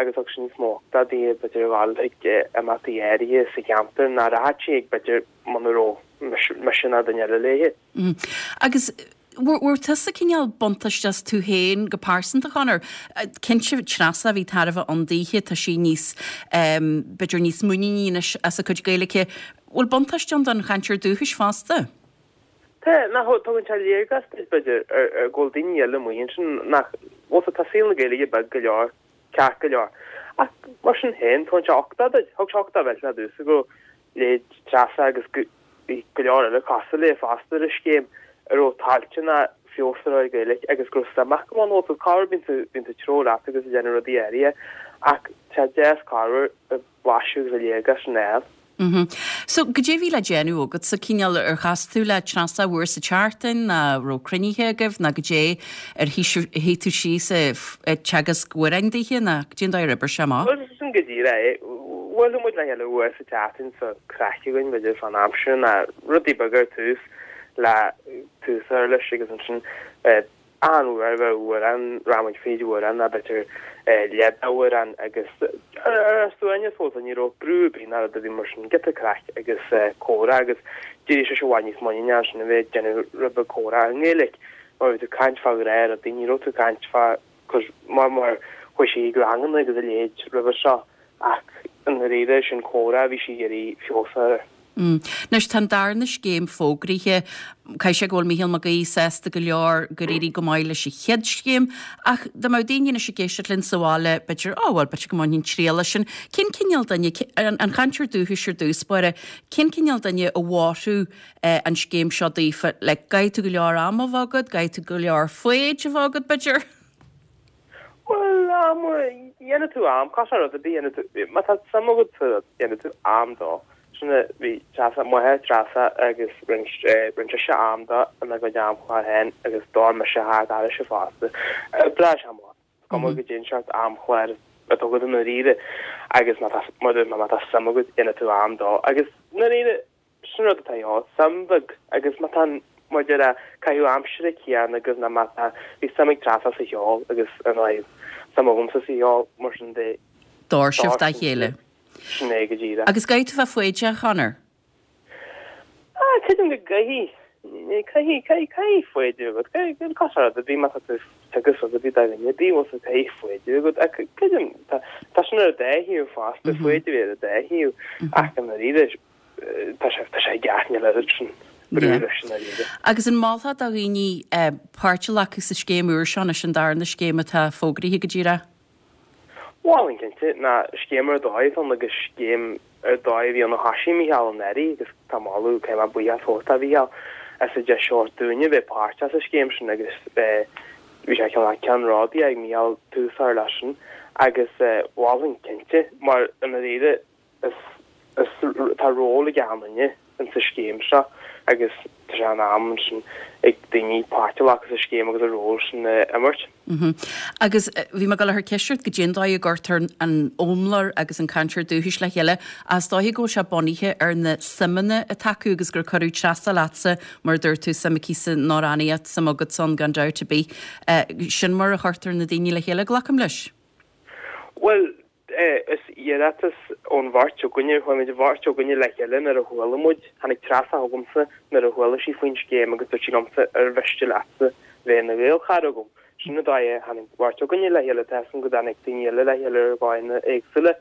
agus thug sin níos mó uchtach daoithe b'fhéidir a ghabháil chuig imeachtaí áirithe sa cheantar nach rachadh sí ag b'fhéidir muna raibh mise ná duine eile léithe. Agus bhfuair tusa cineál buntáiste as tú féin go pearsanta, Conor? Cinnte, Treasa, bhí tairbhe ann daoithe, tá sí níos, b'fhéidir níos muiníní anois as a cuid Gaeilge. Bhfuil buntáiste ann don chainteoir dúchais fosta? Tá, nach, tugann sé léargas duit, b'fhéidir, ar go bhfuil daoine eile amuigh ansin nach, bhfuil tá saol na Gaeilge beag go leor, ceart go leor. Ach mar sin féin, tugann sé uchtach duit, thug sé uchtach millteanach domhsa go leithéid Treasa agus go bhí go leor eile cosúil léi fosta ar an scéim a raibh toilteanach feabhas a chur ar an Ghaeilge agus go raibh suim acu ann bhfuil tú corruair bíonn tú bíonn tú ag treabhadh leat agus ag déanamh rudaí áirithe ach tá sé deas corruair an blaiseadh agus an léargas sin a fháil. Mhm. So, goidé a bhí le déanamh agatsa, cineál, ar chas tú le Treasa uair sa tseachtain, ná raibh cruinnithe agaibh, ná goidé, ar shuigh tú síos ag teagasc amhráin daoithe, ná goidé an dóigh ar oibrigh sé amach? Bhuel, sin go díreach é. Bhuaileadh muid le chéile uair sa tseachtain so craic againn, b'fhéidir, fán am sin, ná rudaí beaga ar tús le tús a chur leis agus ansin achan uair bheadh amhrán, rachadh muid fríd amhrán ná b'fhéidir leath d'amhrán agus ar a suaimhneas fós, ní raibh brú ar bith ná rud ar bith mar sin, giota craic agus comhrá agus d'éirigh sise i bhfad níos muiníne ansin a bheith ag déanamh rud beag comhrá i nGaeilge mar bhí tú ag caint fá ghnáthrudaí, ní raibh tú ag caint fá mar mar chuaigh sí ag ranganna agus a leithéid roimhe seo ach i ndáiríre sin comhrá a bhí sí ag iarraidh feabhas a chur air. Anois tá an darna scéim fógraithe. Caithfidh sé go bhfuil Mícheál Mac Aoidh sásta go leor gur éirigh go maith leis an chéad scéim. Ach dá mbeadh daoine anois ag éisteacht linn sa bhaile, b'fhéidir, 'Ó bhuel, b'fhéidir go mbainfinn triail as sin. Cén cineál duine, an chainteoir dúchais ar dtús báire, cén cineál duine a mhairfeadh an scéim seo daofa? Like, caithfidh tú go leor ama a bheith agat, caithfidh tú go leor foighid a bheith agat, b'fhéidir? Bhuel, am, dhéanfaidh tú am, cosúil le rud ar bith, dhéanfaidh tú, má tá suim agat sa rud, dhéanfaidh tú am dó. Sin é, bhí Treasa, m'athair Treasa agus rinne, rinne sise am dó ina gcuid amchlár féin agus d'fhóir mise thart airse fosta. Breá sé amach. Is cuma goidé an seort amchlár atá agat i ndáiríre agus má tá, má tá suim agat, dhéanfaidh tú am dó. Agus i ndáiríre, Sin rud atá ann, suim bheag, agus má tá an, mar a déarfá, caitheamh aimsire céanna agus ná má tá, bhí suim ag Treasa sa cheol agus ar ndóigh suim agamsa sa cheol, mar sin de. D'fhóir sibh dá chéile. Sin é go díreach. Agus caithfidh tú bheith foighdeach, a Chonor? Ah, creidim go gcaithfidh. Caithfidh, caithfidh, caithfidh foighid a bheith agat. Caithfidh, cosúil le rud ar bith má tá tú ag teagasc rud ar bith do dhuine ar bith, bhfuil fhios agat, caithfidh foighid a bheith agat. Ach creidim, tá, tá sin ar an dá thaobh fosta, foighid a bheith ar an dá thaobh. Ach i ndáiríre, tá sé, tá sé i gceart, níl oiread sin brú leis i ndáiríre. Agus an molfá do dhaoine páirt a ghlacadh sa scéim úr seo anois, an darna scéim atá fógraithe go díreach? Mholfainn cinnte, ná scéim ar dóigh atá ann agus scéim ar dóigh a bhí ann ó thoisigh Mícheál anuraidh agus tá moladh, caithfidh mé buíochas a thabhairt do Mhícheál as an deis a thabhairt dúinne bheith páirteach sa scéim sin agus bhí sé cineál ceannródaíoch ag Mícheál tús a chur leis sin agus mholfainn cinnte mar i ndáiríre Is tá ról ag achan duine insa scéim seo agus tá sé in am ansin ag daoine páirt a ghlacadh sa scéim agus a ról sin a imirt. Agus bhí mé ag dul a chur ceist ort goidé an dóigh a gcuirtear an fhoghlaimeoir agus an cainteoir dúchais le chéile ach is dóiche go bhfuil sé bunaithe ar na suimeanna atá acu agus gur cuireadh Treasa leatsa mar a dúirt tú, suim aici san amhránaíocht, suim agatsa ann gan dabht ar bith. Sin mar a chuirtear na daoine le chéile, glacaim leis. Bhuel, Is iarratas ón bheirt againne, chuaigh muid an bheirt againne le chéile nuair a chuala muid, tháinig Treasa chugamsa nuair a chuala sí faoin scéim agus dúirt sí liomsa ar mhiste leatsa bheith ina Ghaelchara agam. Sin an dóigh a tháinig an bheirt againne le chéile, tá 'fhios agam go dtáinig daoine eile le chéile ar dhóigheanna éagsúla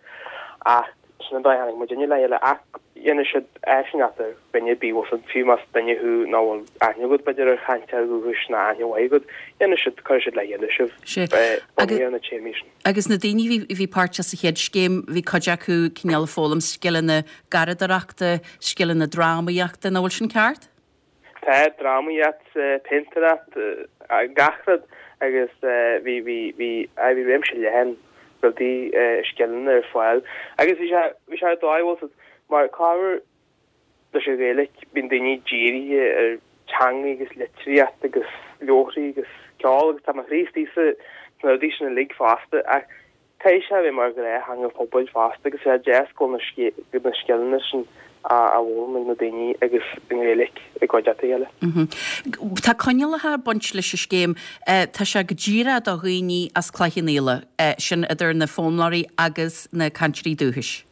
ach sin an dóigh a tháinig muidinne le chéile ach dhéanfaidh siad áisineacht ar dhuine ar bith, bhfuil 'fhios agat, fiú más duine thú nach bhfuil aithne agat b'fhéidir ar chainteoir dúchais ná aithne mhaith agat, dhéanfaidh siad, cuirfidh siad le chéile sibh bunaithe ar na téamaí sin. Agus na daoine a bhí páirteach sa chéad scéim, bhí cuid acu cineál ag foghlaim scileanna garraíodóireachta, scileanna drámaíochta, nach bhfuil sin ceart? Tá, drámaíocht, péintéireacht, gach rud agus bhí, bhí, bhí, aye bhí réimse leathan rudaí, scileanna ar fáil agus bhí sé, bhí sé ar dóigh, bhfuil 'fhios agat, mar corruair leis an Ghaeilge, bíonn daoine dírithe ar teanga agus litríocht agus leabharthaí agus ceol agus tá mo chroí istigh sna rudaí sin uilig fosta ach caithfidh sé a bheith mar ghnáth-theanga pobail fosta agus tá sé deas go bhfuil na scileanna sin á bhfoghlaim ag na daoine agus i nGaeilge i gcuideachta a chéile. Tá coinníollacha ag baint leis an scéim. Tá sé go díreach do dhaoine as Cloich Cheann Fhaola, sin idir na foghlaimeoirí agus na cainteoirí dúchais.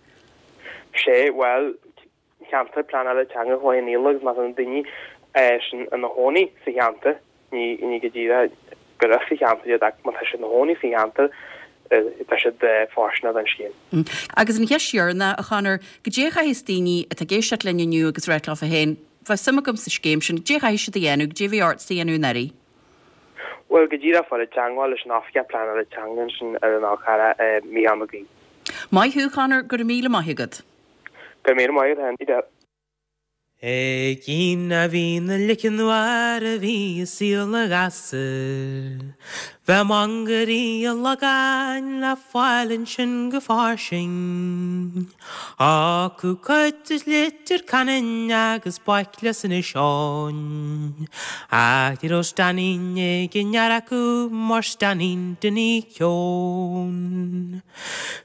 Sé, bhuel, ceantar pleanála teanga Chloich Cheann Fhaola agus má tá na daoine sin ina chónaí sa cheantar, ní ní go díreach gur as an cheantar iad ach má tá siad ina chónaí sa cheantar, tá siad fóirsteanach don scéim. Agus an cheist dheireanach, a Chonor, goidé a chaithfeas daoine atá ag éisteacht linn inniu agus ráit leofa féin, bheadh suim agam sa scéim sin, goidé a chaithfidh siad a dhéanamh, goidé a bheidh ortsa a dhéanamh in áirithe? Bhuel, go díreach fáil i dteangmháil leis an Oifigeach Pleanála Teanga ansin ar an Fhál Carrach, Mícheál Mac Aoidh. Maith thú, Conor, go raibh míle maith agat. Go raibh míle maith agat féin. Ag a bhí na leiceann mhar a bhí i saol na gasúr. Bheadh mangairí an Lagáin le fáil ansin go fairsing. Acu cuid de Leitir Ceanainn agus baicle as Inis Eoghain. Ach ní raibh stainín ag an fhear acu mar stainín Dinny Keown.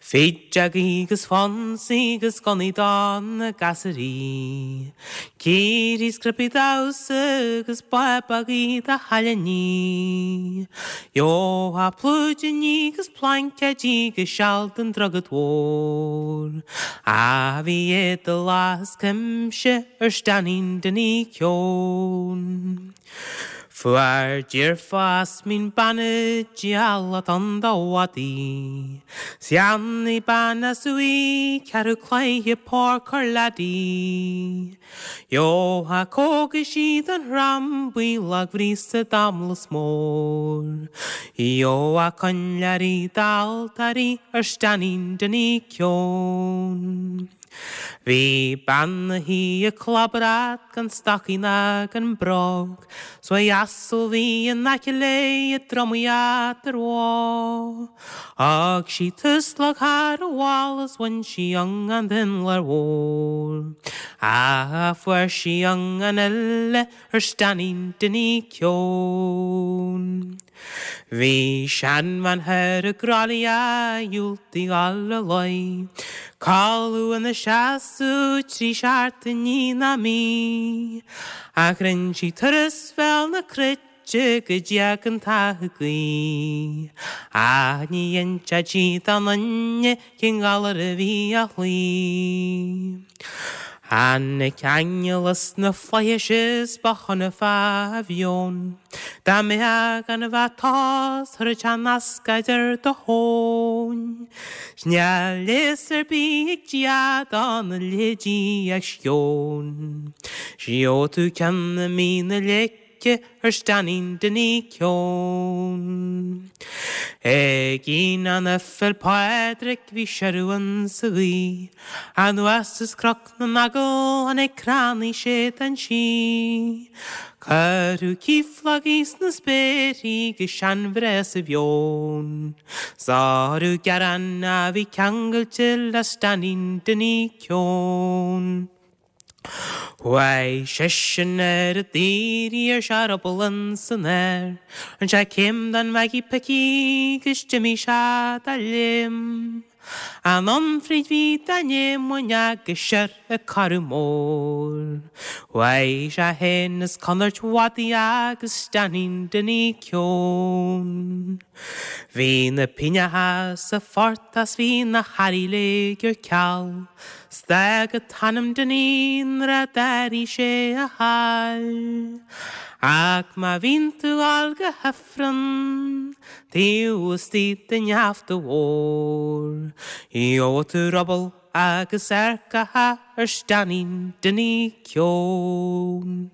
Fideogaí agus fonsaí agus gunnaí do na gasúraí. Cíoraí 's cnaipí damhsa agus bábógaí do chailíní. Gheofá plúidíní agus plaincéidí agus seal don Droichead Mhór. Ach bhí éadala as cuimse ar stainín Dinny Keown. Fuair deirfiúr mín bean diabhal ann do mhadaí. 'S cheannaigh bean as uaidh ceathrú cloiche páirc ar leadaí. Gheobhadh cógaisí don throm buí lagbhríosa d'amhlas mór. Gheobhadh coinnleoirí d'altóirí ar Stainín Dinny Keown. Bhí bean 'na shuí ag clabrat gan stocaí ná gan bróg, 'S uaidh asal bhí in aice léi i dtromaí eadar bhó. Thug sí tuaslag thar an bhalla 's bhain sí iongan den láir mhór. Ach fuair sí iongan eile ar Stainín Dinny Keown. Bhí seanbhean thoir i gCroithlí a dhiúltaigh dul a luí, Codladh ina seasamh trí seachtainí ná mí, Ach rinn sí turas Bhéal na Cruite go dtí an t-ag guí, Ach ní inseodh sí don duine cén galar a bhí á chloí. Tháinig aingeal as na flaithis is ba shona fá mheon. Dá mbeifeá gan a bheith tomhas chuirfeadh sé nascaid ar do thóin. 'S níl leigheas ar bith ag Dia do na leithéidí ach sceon. 'S gheobhaidh tú ceann i mí na leice. ar Stainín Dinny Keown. Ag Aoine na Féil' Pádraig bhí seiriú insa ghaoth, Anuas as Cnoc na nEagal tháinig crannaí séideán sí. Cuireadh ciaflógaí sna spéirí go seanbhreith sa mheon. Sárú gearán a bhí ceangailte le Stainín Dinny Keown. Chuaigh seisean ar a daoirí ar sé ruball ins an aer. Rinne sé céim den Mhaggie Picí 'gus d'imigh sé dá léim. Anonn fríd bhí dá n-éamoinn agus siar a Carú Mór. Chuaigh sé fhéin is conairt mhadaidh agus Stainín Dinny Keown. Bhí na píneacha sa phort is bhí na hearraí uilig ar ceal. 'S d'fhág an t-anam Dinny nuair a d'airigh sé a thoil. Ach má bhíonn tú ag dul go hIfreann taobh istigh den gheafta mhór, gheobhaidh tú ruball agus earcacha ar Stainín Dinny Keown.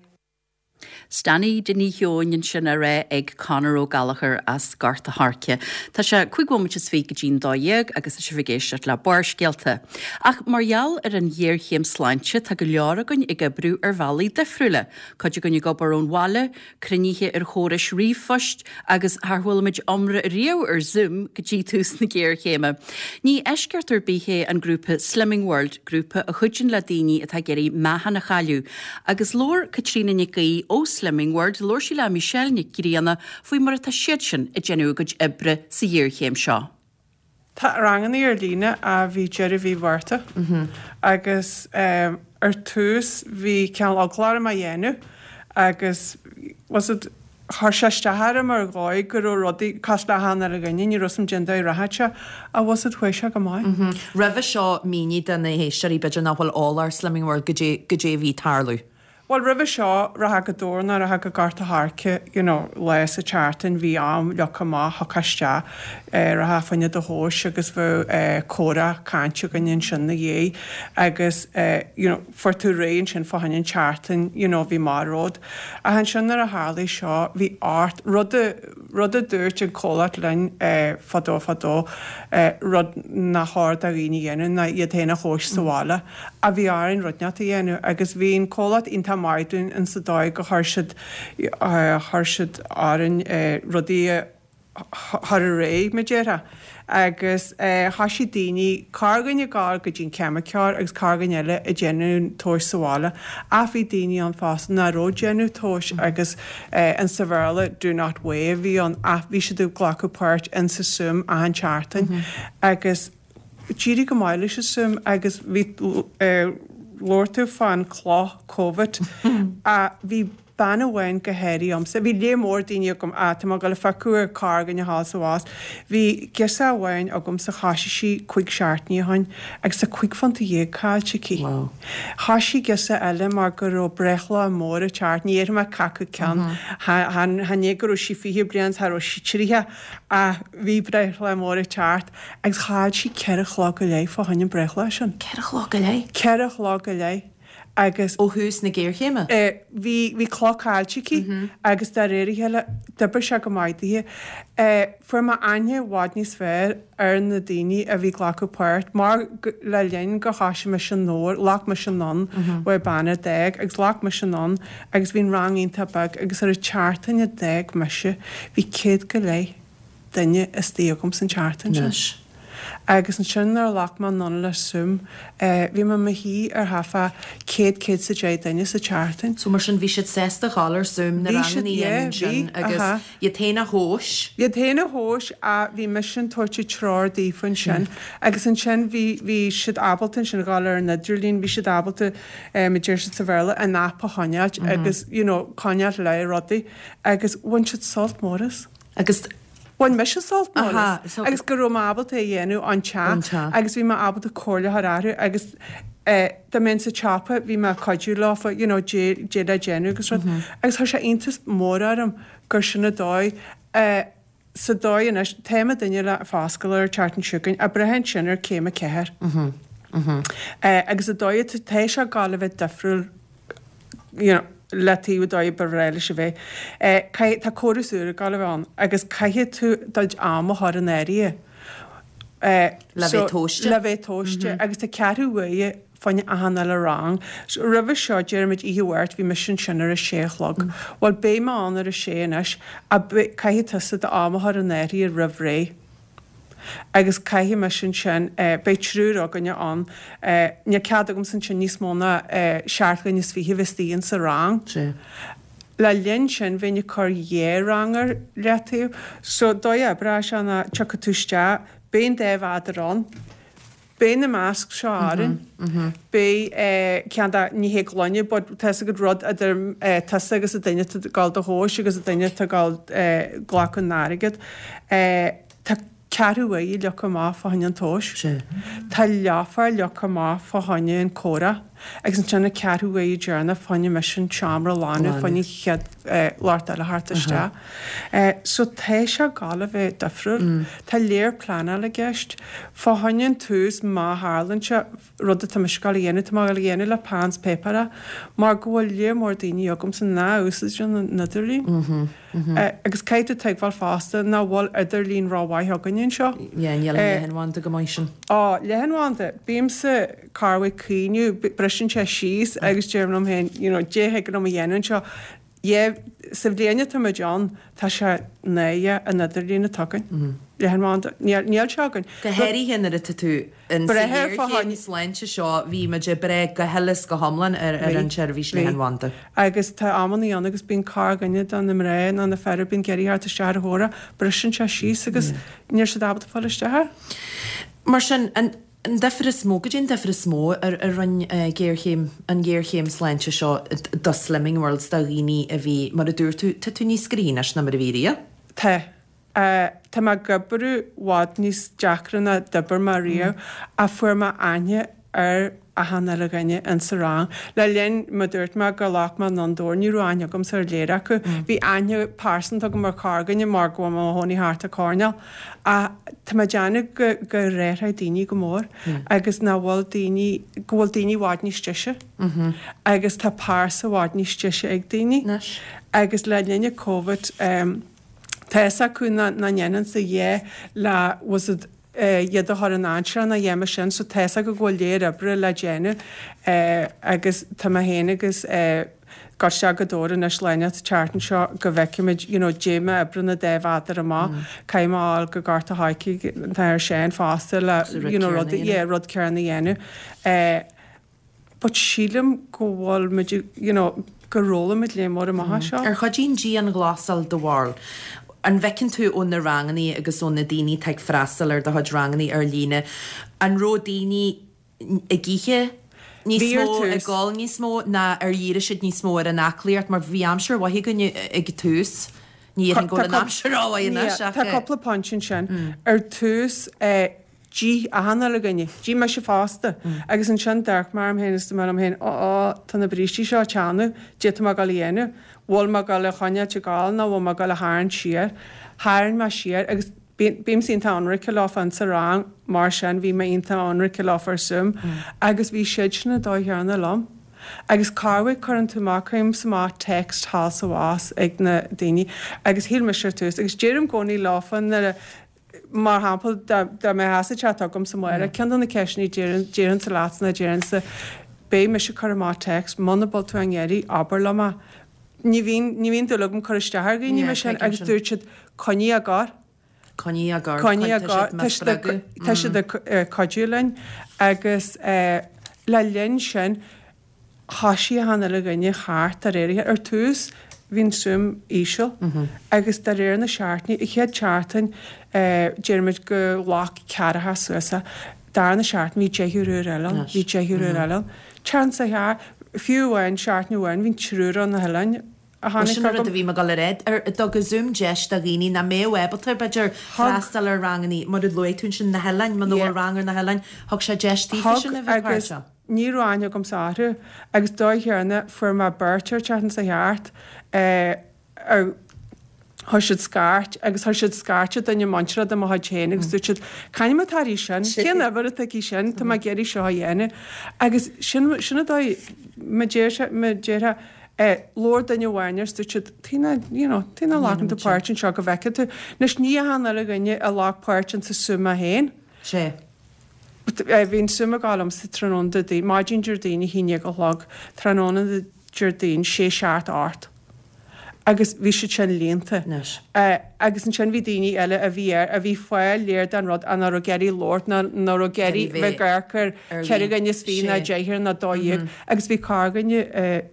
Stanny Dinny Sheoin ansin á rá ag Conor Ó Gallchóir as Gort a' Choirce. Tá sé cúig bhomaite is fiche go dtí'n 12 agus tá sibh ag éisteacht le Barrscéalta. Ach mar gheall ar an ghéarchéim sláinte tá go leor againn ag oibriú ar bhealaí difriúla, cuid againn ag obair ón bhaile, cruinnithe ar chórais ríomhphoist agus char chuala muid iomrá riamh ar Zoom go dtí tús na géarchéime. Ní eisceacht ar bith é an grúpa Slimming World, grúpa a chuidíonn le daoine atá ag iarraidh meáchan a chailleadh. Agus labhair Caitríona Nic Aoidh ó Slimming World, labhair sí le Michelle Nic Grianna faoi mar atá siadsan ag déanamh a gcuid oibre sa ghéarchéim seo. Tá rangannaí ar líne ó bhí deireadh mhí Mhárta agus ar tús bhí cineál eagla orm á dhéanamh agus was it chuir sé isteach orm ar dhóigh go raibh rudaí cosúil le achan uile dhuine, ní raibh 's a'm cén dóigh a rachadh sé ach was it chuaigh sé go maith. Roimhe seo mínigh do na héisteoirí b'fhéidir nach bhfuil eolach ar Slimming World goidé goidé a bhí ag tarlú. Bhuel, roimhe seo, rachfá go Dobhar nó rachfá go Gort a' Choirce, you know, lá sa tseachtain, bhí am leagtha amach, thiocfá isteach, rachfá fá choinne do thomhais agus bheadh comhrá, caint againn ansin 'na dhiaidh agus, you know, fuair tú réidh ansin fá choinne an tseachtain, you know, bhí amach romhat. Ach ansin nuair a tharlaigh seo, bhí ort, rud a, rud a dúirt an comhlacht linn fadó fadó, rud nach chóir do dhaoine a dhéanamh ná iad féin a thomhais sa bhaile. Ach bhí orainn rud inteacht a dhéanamh agus bhí an comhlacht iontach maith dúinn in sa dóigh go chuir siad, chuir siad orainn rudaí a chur ar aghaidh, mar a déarfá. Agus thoisigh daoine, corrdhuine ag gabháil go dtí an ceimiceoir agus corrdhuine eile ag déanamh an tomhais sa bhaile. Ach bhí daoine ann fosta nach raibh ag déanamh tomhais agus in sa Bhéarla do not weigh a bhí ann ach bhí siad ag glacadh páirt in sa Zoom achan tseachtain agus D'éirigh go maith leis an Zoom agus bhí, labhair tú fán cloch Covid, bhí. Bean amháin go háirithe agamsa, bhí lear mór daoine agam, ah tá mé ag dul a phiocadh ar corrdhuine a ghabháil sa bhfás. Bhí girseach amháin agamsa thoisigh sí cuig seachtainí ó shoin agus tá cuig phunta dhéag caillte aici. Wow. Thoisigh girseach eile mar go raibh breithlá mór ag teacht, ní dhéarfaidh mé c'acu ceann, chan é go raibh sí 20 bliain, cha raibh sí 30 ach bhí breithlá mór ag teacht agus chaill sí ceithre chlog go leith fá choinne an breithlá sin. Ceithre chlog go leith? Ceithre chlog go leith agus. Ó thús na géarchéime? Bhí, bhí clog caillte aici agus de réir a chéile d'oibrigh sé go maith daoithe. Fuair mé aithne i bhfad níos fearr ar na daoine a bhí ag glacadh páirt mar le linn gur thoisigh mise anonn, ghlac mise anonn uaidh bean a d'fhág agus ghlac mise anonn agus bhí an rang iontach beag agus ar an tseachtain a d'fhág mise bhí céad go leith duine istigh agam san tseachtain sin. Anois. Agus ansin nuair a ghlac mé anonn le Zoom, bhí mé i mo shuí ar thart fá céad, 110 duine sa tseachtain. So mar sin bhí siad sásta dhul ar Zoom na Bhí siad, ranganna a yeah, dhéanamh bhí, ansin agus aha. iad féin a thomhas. Iad féin a thomhas ach bhí mise ag tabhairt an treoir daofa ansin. Agus ansin bhí, bhí siad ábalta ansin dhul ar an idirlíon, bhí siad ábalta, mar a deir siad sa Bhéarla, an app a choinneáilt agus you know coinneáilt le rudaí agus bhain siad sult mór as. Agus. Bhain mise sult mór Aha, as so. agus go raibh mé ábalta é a dhéanamh ón Ón teach teach. agus bhí mé ábalta comhairle a chur orthu agus eh dá mbeinn sa tsiopa bhí mé ag cuidiú leofa you know dé dé le déanamh agus rud. Agus chuir sé iontas mór orm gur sin an dóigh eh sa dóigh anois tá mo duine le foscailt ar an tseachtain seo chugainn ag brath ansin ar céim 4. Eh agus an dóigh atá tá sé ag gabháil a bheith difriúil you know, le taobh an dóigh ba bhreá leis a bheith. Caithfidh, tá córas úr ag gabháil a bheith ann agus caithfidh tú do chuid am a chur in áirithe. Le bheith tomhaiste. Le bheith tomhaiste agus tá ceathrú uaire fá choinne achan uile rang. So roimhe seo deirimid oíche Mháirt bhí mise ansin ar a sé a chlog. Bhuel beidh mé ann ar a sé anois ach caithfidh tusa d'am a chur in áirithe roimh ré. Agus caithfidh mise ansin, beidh triúr againne ann, níl cead agamsa ansin níos mó ná seacht dhuine is fiche bheith istigh insa rang. Sea. Le linn sin bheinn ag cur dhá rang ar leataobh. So dóigh a oibreoidh sé ná tiocfaidh tú isteach, beidh an dá mhéadar ann, Beidh na masks seo orainn. Beidh ceann de, ní hé gloine, but tá fhios agat rud idir tusa agus an duine atá ag gabháil do thomhas agus an duine atá ag gabháil glacadh an airgead. Tá ceathrú uaire leagtha amach fá choinne an tomhais. Tá leathuair leagtha amach fá choinne an comhrá agus ansin an ceathrú uaire deireanach fá choinne mise an seomra a ghlanadh fá choinne an chéad lucht eile a theacht isteach. So tá sé ag gabháil a bheith difriúil. Tá léar pleanála i gceist. Fá choinne an tús, má tharlaíonn sé, rud atá mise ag gabháil a dhéanamh, tá mé ag gabháil a dhéanamh le peann 's páipéar é, mar go bhfuil léar mór daoine agamsa ná úsáideann an idirlíon. Agus caithfidh tú tuigbheáil fosta nach bhfuil idirlíon rómhaith againne anseo. Yeah, níl an leathanbhanda go maith sin. Á, leathanbhanda, bímse corruair ag caoineadh, briseann sé síos agus deirim liom féin, you know, dé thig liom a dhéanamh anseo. Yeah, sa bhliain atá muid ann, tá sé náireach an idirlíon atá againn. Leathanbhanda. Níl, níl sé againn. Go háirithe nuair atá tú in sa ghéarchéim sláinte seo, bhí muid ag brath go huile is go hiomlán ar ar an tseirbhís leathanbhanda. Agus tá amannaí ann agus bíonn corrdhuine de na mná nó na fir a bíonn ag iarraidh theacht isteach ar an chomhrá, briseann sé síos agus níl siad ábalta fáil isteach air. Mar sin, an. An difear is mó, goidé an difear is mó a rinne géarchéim, an ghéarchéim sláinte seo do Slimming World, do dhaoine a bhí, mar a dúirt tú, tá tú níos gnoithí anois ná mar a bhí riamh? Tá. Tá mé ag oibriú i bhfad níos deacra ná d'oibir mé riamh ach fuair mé aithne ar achan uile dhuine insa rang. Le linn, mar dúirt mé gur ghlac mé anonn dóibh, ní raibh aithne agamsa ar léar acu. Bhí aithne pearsanta agam ar chorrdhuine mar go bhfuil mé i mo chónaí thart an choirnéal. Ach tá mé ag déanamh go gur athraigh daoine go mór agus nach bhfuil daoine, go bhfuil daoine i bhfad níos deise agus tá pearsa i bhfad níos deise ag daoine. Agus le linn an Covid tá fhios acu nach ndéanfainnse a dhath le was it iad a chur in dainséar ná a dhath mar sin so tá fhios acu go bhfuil léar oibre le déanamh agus tá mé féin agus gabháil isteach go Dobhar anois lá inteacht an tseachtain seo go bhfeicfimid you know dé mar a oibreann an dá mhéadar amach caithfidh mé a fháil go Gort a' Choirce an t-athair Seán fosta le you know rud yeah rud céanna a dhéanamh eh but sílim go bhfuil muid you know gur fhoghlaim muid léar mór amach as seo. Ar chuidigh an dianghlasáil do bharúil? An bhfeiceann tú ó na rangannaí agus ó na daoine atá ag freastal ar do chuid rangannaí ar líne, an raibh daoine ag ithe? Níos mó ag gabháil níos mó ná ar dhírigh siad níos mó ar an aclaíocht mar bhí aimsir mhaith againn ag an tús. Ní dhéarfainn go bhfuil an aimsir rómhaith anois ach. Tá cúpla pointe ansin. Ar tús d'ith achan uile dhuine, d'ith mise fosta, agus ansin d'amharc mé orm féin agus dúirt mé liom féin, ó ó, tá na brístí seo ag teannadh, caidé tá mé ag dul a dhéanamh, bhfuil mé ag dul a choinneáilt ag gabháil nó bhfuil mé ag dul a tharraingt siar. Tharraing mé siar agus bímse iontach ionraice leofa insa rang mar sin, bhí mé iontach ionraice leofa ar Zoom agus bhí siadsan an dóigh chéanna liom. Agus corruair cuireann tú amach, cuirimse amach text thall 's abhus ag na daoine agus shíl mise ar tús agus deirim i gcónaí leofa nuair a Mar shampla, dá mbeifeása ag teacht chugamsa amárach, ceann de na ceisteanna a déarfainnse leatsa ná déarfainnse, beidh mise ag cur amach text, muna bhfuil tú á n-iarraidh, abair liom é. Ní bhíonn, ní bhíonn dúil agam cur isteach ar dhaoine mar sin agus dúirt siad, coinnigh ag gor. Coinnigh ag gor, Coinnigh ag gor, tá siad ag, tá siad ag cuidiú linn agus le linn sin, Thoisigh achan uile dhuine thart de réir, ar tús bhí an suim íseal agus de réir na seachtainí, an chéad tseachtain déarfaimid go ghlac ceathracha suas é, darna seachtain bhí deichniúr úr eile ann, bhí deichniúr úr eile ann. Tseachtain sa cheart, fiú amháin seachtain amháin bhí triúr ó na hoileáin a tháinig Sin an rud a bhí mé ag dul a rá, ar dtug an Zoom deis do dhaoine nach mbeadh ábalta, b'fhéidir, freastal ar rangannaí, mar a luaigh tú ansin, na hoileáin, muna bhfuil rang ar na hoileáin, thug sé deis daofa sin a bheith páirteach. Ní raibh aithne agamsa orthu agus dóigh chéanna fuair mé beirt ar tseachtain seo thart ar chuir siad scairt agus chuir siad scairt ar duine muinteartha de mo chuid féin agus dúirt siad c'ainm atá uirthi sin, cén uimhir atá aici sin, tá mé ag iarraidh seo a dhéanamh agus sin sin an dóigh mar deir sé mar déarfá labhair duine amháin agus dúirt siad tuige nach you know tuige nach nglacann tú páirt anseo go bhfeicfidh tú. Anois ní achan uile dhuine a ghlac páirt insa Zoom é féin. Sea. Bhí an Zoom ag gabháil liomsa tráthnóna Déardaoin, maidin Déardaoin 11 a chlog, tráthnóna Déardaoin 6, 7, 8. Agus bhí siad sin líonta. Anois. Agus ansin bhí daoine eile a bhí air, a bhí ag fáil léir den rud ach nach raibh ag iarraidh labhairt ná nach raibh ag iarraidh bheith ag amharc ar cheithre dhuine is fiche ná deichniúr ná 12. Agus bhí corrdhuine,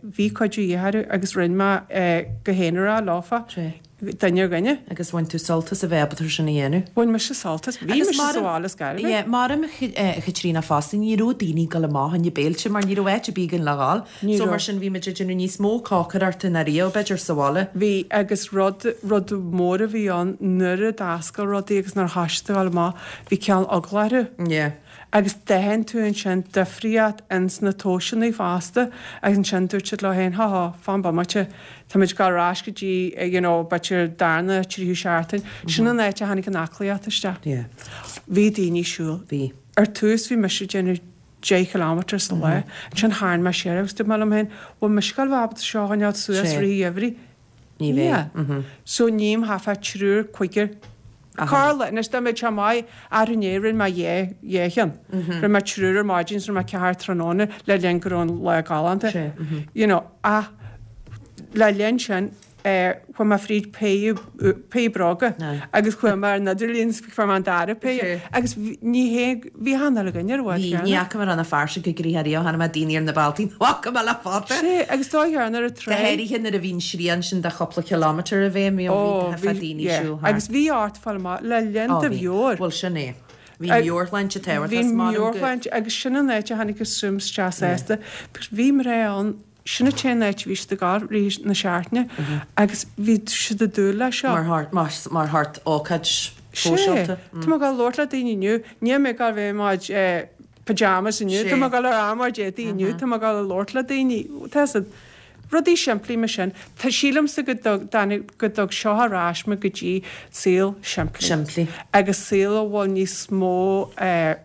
bhí cuidiú de dhíth orthu agus rinne mé go haonarach leofa. Duine ar dhuine. Agus bhain tú sult as a bheith ábalta sin a dhéanamh. Bhain mise sult as. Bhí mise sa bhaile is gairbhe. Yeah, maram a Chaitríona fosta, ní raibh daoine ag dul amach chun na béilte mar ní raibh áit ar bith againn le dhul. Ní So mar sin bhí muid ag déanamh níos mó cócaireachta ná riamh, b'fhéidir, sa bhaile. Bhí, agus rud, rud mór a bhí ann nuair a d'oscail rudaí agus nuair a thoisigh siad a dhul amach, bhí cineál eagla orthu. Yeah. Agus d'aithin tú ansin difríocht ins na tomhaiseanna fosta agus ansin dúirt siad leo féin, hó hó, fan bomaite, táimid ag dul ar ais go dtí, you know, b'fhéidir darna, tríú seachtain. Sin an áit a tháinig an aclaíocht isteach. Yeah. Bhí daoine ag siúl. Bhí. Ar tús bhí mise ag déanamh 10 kilometre sa lá. Ansin tharraing mé siar agus dúirt mé liom féin, bhfuil mise ag dul a bheith ábalta seo a choinneáil suas i rith an gheimhridh? Ní bheidh. So ním chaithfeá triúr, cúigear. Corr-lá, anois dá mbeadh sé maith, arú inné rinne mé dhá, dhá cheann. Rinne mé triúr ar maidin is rinne mé ceathrar tráthnóna le linn go raibh an lá galánta. You know, ach le linn sin, chuaigh mé fríd péire, péire bróga agus chuaigh mé ar an idirlíon is fuair mé an dara péire agus ní hé, bhí achan uile dhuine ar an bhád Bhí, ní fhaca mé na fear sin go gnoitheach riamh, chonaic mé daoine ar na bealtaí nach bhfaca mé le fada. Sea, agus dóigh ar an trá. Go háirithe nuair a bhí an srian sin de chúpla kilometre i bhfeidhm, bhí bhí daoine ag siúl thart. Agus bhí ort fáil amach le linn do mheabhair. Bhuel, sin é. Bhí meabhairshláinte tábhachtach. Bhí meabhairshláinte agus sin an áit a tháinig an Zoom isteach fosta. Bhí mná ann, sin an t-aon áit a bhí siad ag gabháil i rith na seachtaine agus bhí siad ag dúil leis seo. Mar shórt ócáid shóisialta. Sea. Tá mé ag dul a labhairt le daoine inniu, níl mé ag dul a bheith i mo pyjamas inniu, tá mé ag dul ar ár éadaí inniu, tá mé ag dul a labhairt le daoine, tá 'fhios a'd. Rudaí simplí mar sin. Tá, sílimse go dtug, go dtug seo ar ais muid go dtí saol simplí. Simplí. Agus saol a bhfuil níos mó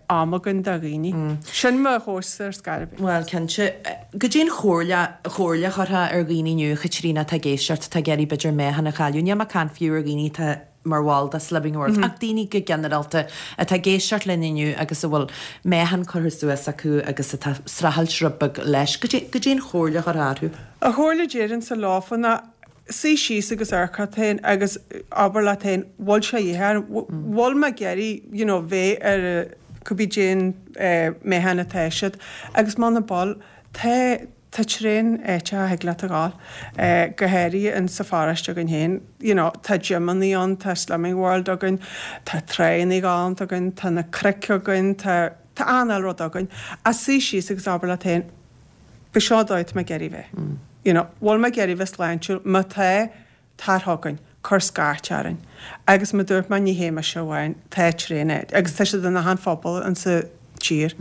ama againn do dhaoine. Sin mo thomhas ar scor ar bith. Bhuel, cinnte. Goidé an chomhairle, chomhairle a chuirfeá ar dhaoine inniu, a Chaitríona, atá ag éisteacht, atá ag iarraidh b'fhéidir meáchan a chailleadh. Níl mé ag caint fiú ar dhaoine atá mar bhall de Slimming World, ach daoine go ginearálta atá ag éisteacht linn inniu agus a bhfuil meáchan curtha suas acu agus atá ag streachailt rud beag leis. Goidé an chomhairle a chuirfeá orthu? An chomhairle a déarfainnse leofa ná suigh síos agus amharc ort féin agus abair leat féin, bhfuil sé de dhíth orm, bhfuil mé ag iarraidh you know bheith ar cibé cén meáchan atá siad agus muna bhfuil, tá Tá tréan áiteacha a thig leat a ghabháil, go háirithe in sa pharóiste againn féin. You know, tá gymeannaí ann, tá Slimming World againn, tá tráigheannaí galánta againn, tá na cnoic againn, tá. Tá achan rud againn. Ach suigh síos agus abair leat féin, b'seo an dóigh atá mé ag iarraidh bheith. You know, bhfuil mé ag iarraidh bheith sláintiúil? Má tá, tar chugainn, cuir scairt orainn. Agus mar dúirt mé, ní hé mise amháin, tá traenáil, agus tá siad in achan phobal insa tír.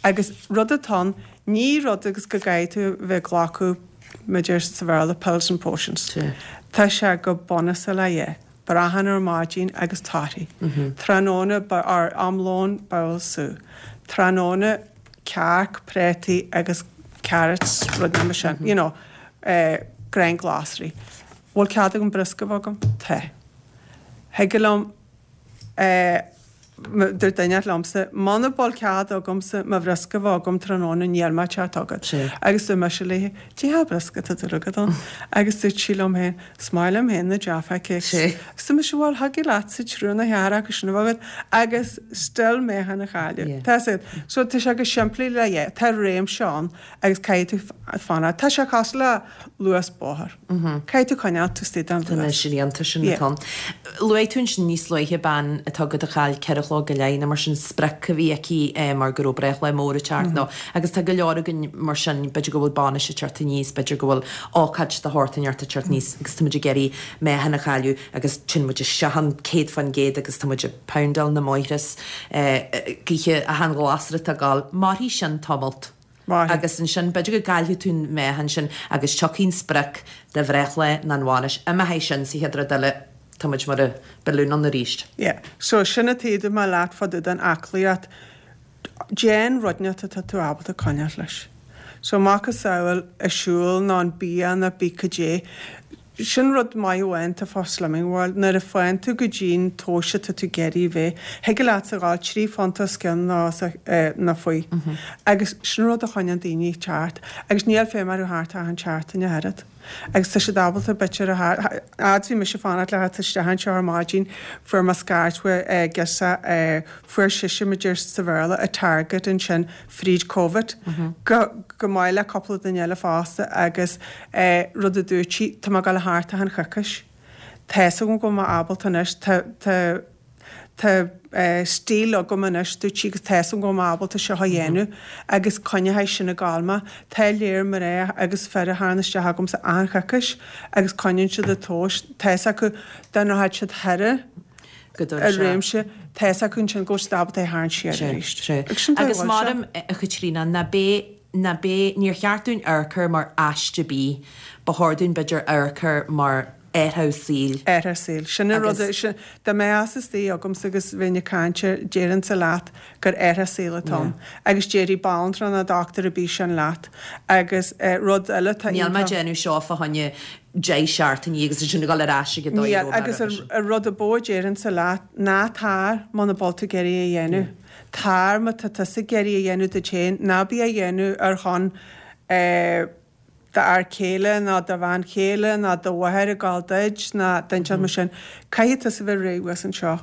Agus rud atá ann, ní rud agus go gcaithfidh tú bheith ag glacadh, mar a deir sa Bhéarla, pills and potions. Tá sé go bunúsach le dhith. Brachán ar maidin agus torthaí. Tráthnóna, or am lóin, babhla sú. Tráthnóna, cearc, préataí agus carrots, rud mar sin, you know, gráin glasraí. Bhfuil cead agam briosca a bheith agam? Tá. Thig liom, dúirt duine liomsa, muna bhfuil cead agamsa mo bhriosca a bheith agam tráthnóna níl mé ag teacht chugat. Agus dúirt mise léi, Cad é briosca atá dúil agat ann? Agus dúirt sí liom féin, Is maith liom féin na Jaffa Cakes. Agus dúirt mise, Bhuel, thig leatsa triúr nó ceathrar acu sin a bheith agat agus still meáchan a chailleadh. Tá a fhios agat. So tá sé go simplí le yeah, tá réimse ann agus caithfidh tú fanacht. Tá sé cosúil le luas bóthair. Caithfidh tú coinneáil tú istigh den Tá na luas. srianta sin Yeah. atá ann. Luaigh tú ansin níos luaithe bean atá agat a chaill ceithre chló go leith nó mar sin sprioc a bhí aici mar go raibh breithlá mór ag teacht nó agus tá go leor againn mar sin b'fhéidir go bhfuil bainis ag teacht aníos b'fhéidir go bhfuil ócáid de shórt inteacht ag teacht aníos agus tá muid ag iarraidh meáchan a chailleadh agus téann muid isteach ann 100% agus tá muid ag poundáil na mbóithre is ag ithe achan ghlasra atá ag gabháil. Mairfidh sin tamalt. Mairfidh. Agus ansin b'fhéidir go gcaillfidh tú an meáchan sin agus tiocfaidh an sprioc do bhreithlá nó an bhainis. Imeoidh sin sa chéad rud eile tá muid mar a billiún ann arís. Yeah. So sin an taobh dúirt mé leat fá dtaobh den aclaíocht. Déan rud inteacht atá tú ábalta coinneáil leis. So macasamhail an siúl nó an bia nó bí cad é. Sin rud maith amháin atá fá Slimming World, nuair a fhaigheann tú go dtí'n tomhais atá tú ag iarraidh a bheith, thig leatsa a dhul 3 phunt os cionn nó nó faoi. Agus sin rud a choinneann daoine ceart. Agus níl feidhm orthu thart achan tseachtain ach oiread. Agus tá siad ábalta b'fhéidir a theacht, fhad 's bhí mise ag fanacht le theacht isteach anseo ar maidin, fuair mé scairt uaidh girseach, fuair sise, mar a deir sa Bhéarla, a target ansin fríd Covid, go go maith le cúpla duine eile fosta agus rud a dúirt sí, tá mé ag dul thart achan choicís. Tá fhios agam go bhfuil mé ábalta anois, tá tá tá stíl agam anois, dúirt sí, agus tá fhios agam go bhfuil mé ábalta seo a dhéanamh agus coinneoidh sin ag gabháil mé. Tá léir mná agus fir a thagann isteach agamsa achan choicís agus coinníonn siad an tomhas, tá fhios acu dá ndeachaigh siad thar an go dtugann sé. réimse, tá fhios acu ansin go bhfuil siad ábalta é a tharraingt siar arís. Sea, Agus sin Agus dóigh a bhfuil sé. maram, a Chaitríona, ná beidh, ná beidh, níor cheart dúinn amharc air mar aiste bídh, ba chóir dúinn b'fhéidir amharc air mar athrú saoil. Athrú saoil. Sin an rud, Agus. sin, dá mbeifeása istigh agamsa agus bheinn ag caint air, déarfainnse leat gur athrú saoil atá ann. Agus déarfaidh banaltra nó dochtúir ar bith sin leat. Agus rud eile atá Níl mé ag iontach. déanamh seo fá choinne 10 seachtainí agus ansin ag dul ar ais ag an dóigh a Níl, raibh mé agus roimhe sin. an rud a ba mhó a déarfainnse leat, ná tar muna bhfuil tú ag iarraidh é a dhéanamh. Tar má tá tusa ag iarraidh é a dhéanamh duit féin, ná bí á dhéanamh ar shon d'fhear céile ná do bhean chéile ná do mháthair ag gabháil duit ná duine inteacht mar sin. Caithfidh tusa bheith réidh thuas anseo.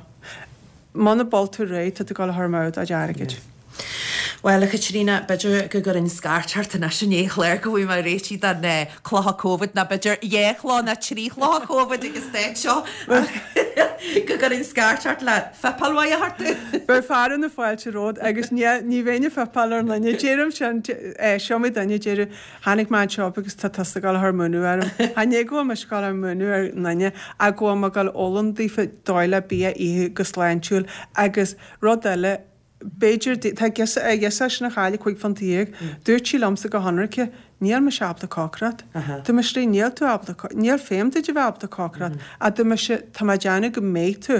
Muna bhfuil tú réidh, tá tú ag dul a chur amú do chuid airgid. Bhuel, a Chaitríona, b'fhéidir go gcuirfinn scairt ort anois i ndiaidh an chláir go bhfaighidh mé réitithe don chluiche Covid, nó b'fhéidir dhá chluiche nó trí chluiche Covid ag an staid seo, ach go gcuirfinn scairt ort le fuipeáil mhaith a thabhairt domh. Beidh fearadh na fáilte romhat agus ní bheinn ag fuipeáil ar an nduine. Deirim sin, is iomaí duine a deireadh, tháinig mé anseo agus tá tusa ag dul a chur múineadh orm. Chan é go bhfuil mise ag dul a chur múineadh ar an nduine ach go bhfuil mé ag dul a fhoghlaim daofa dóigh le bia a ithe go sláintiúil agus rud eile, B'fhéidir, tá a girseach sin a chaill 15 phunt. Dúirt sí liomsa go hionraice, níl mise ábalta cócaireacht. Dúirt mise léi, níl tú ábalta, níl feidhm duit a bheith ábalta cócaireacht. Ach dúirt mise, tá mé ag déanamh go mbeidh tú.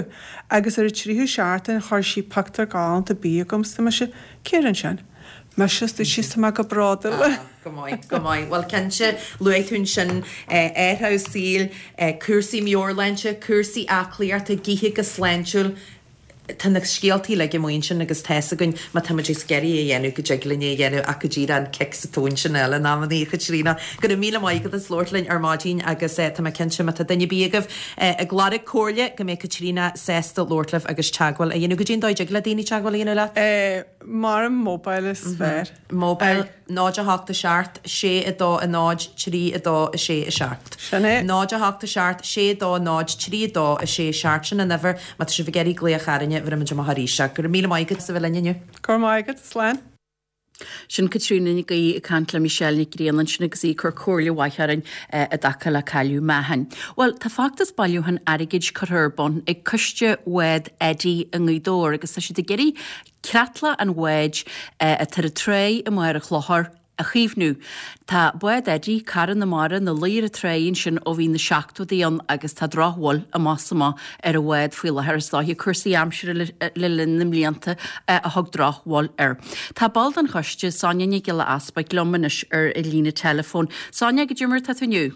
Agus ar an tríú seachtain chuir sí pictiúr galánta bídh chugam 's dúirt mise, cé rinne sin? Mise, dúirt sí, 's tá mé go bródúil. Ah, go maith, go maith. Bhuel, cinnte, luaigh tú ansin athrú saoil, cúrsaí meabhairshláinte, cúrsaí aclaíochta, ag ithe go sláintiúil, Tá na scéaltaí uilig amuigh ansin agus tá fhios againn má tá muid ag iarraidh é a dhéanamh go dtig linn é a dhéanamh ach go díreach an cic sa tóin sin a fháil in amannaí, a Chaitríona. Go raibh míle maith agat as labhairt linn ar maidin agus tá mé cinnte má tá duine ar bith agaibh ag lorg comhairle go mbeidh Caitríona sásta labhairt libh agus teagmháil a dhéanamh. Goidé an dóigh a dtig le daoine teagmháil a dhéanamh leat? Mar an mobile is fearr. Mobile, 0 8 7 6 2 0 3 2 6 7. Sin é. 0 8 7 6 2 0 3 2 6 7 Sin an uimhir má tá sibh ag iarraidh glaoch orainne. seachtaine, bhéarfaidh muid amach arís é. Go raibh míle maith agat as a bheith linn inniu. Go raibh maith agat, slán. Sin Caitríona Nic Aoidh ag caint le Michelle Nic Grianna ansin agus í ag cur comhairle mhaith orainn i dtaca le cailleadh meáchain. Bhuel, tá feachtas bailiúcháin airgid curtha ar bun ag Coiste Bhád Eddie i nGaoth Dobhair agus tá siad ag iarraidh creatlach an bháid atá ar an tráigh i mBarr an Chlochair a chaomhnú. Tá bád Eddie, cara na mara, ina luí ar an tráigh ansin ó bhí na seachtóidí ann agus tá drochbhail amach is amach ar an bhád faoi láthair. Is dóiche cúrsaí aimsire le linn na mblianta a thug drochbhail air. Tá ball den choiste, Sonia Nic Giolla Easpaig, liom anois ar an líne teileafóin. Sonia, goidé mar atá tú inniu?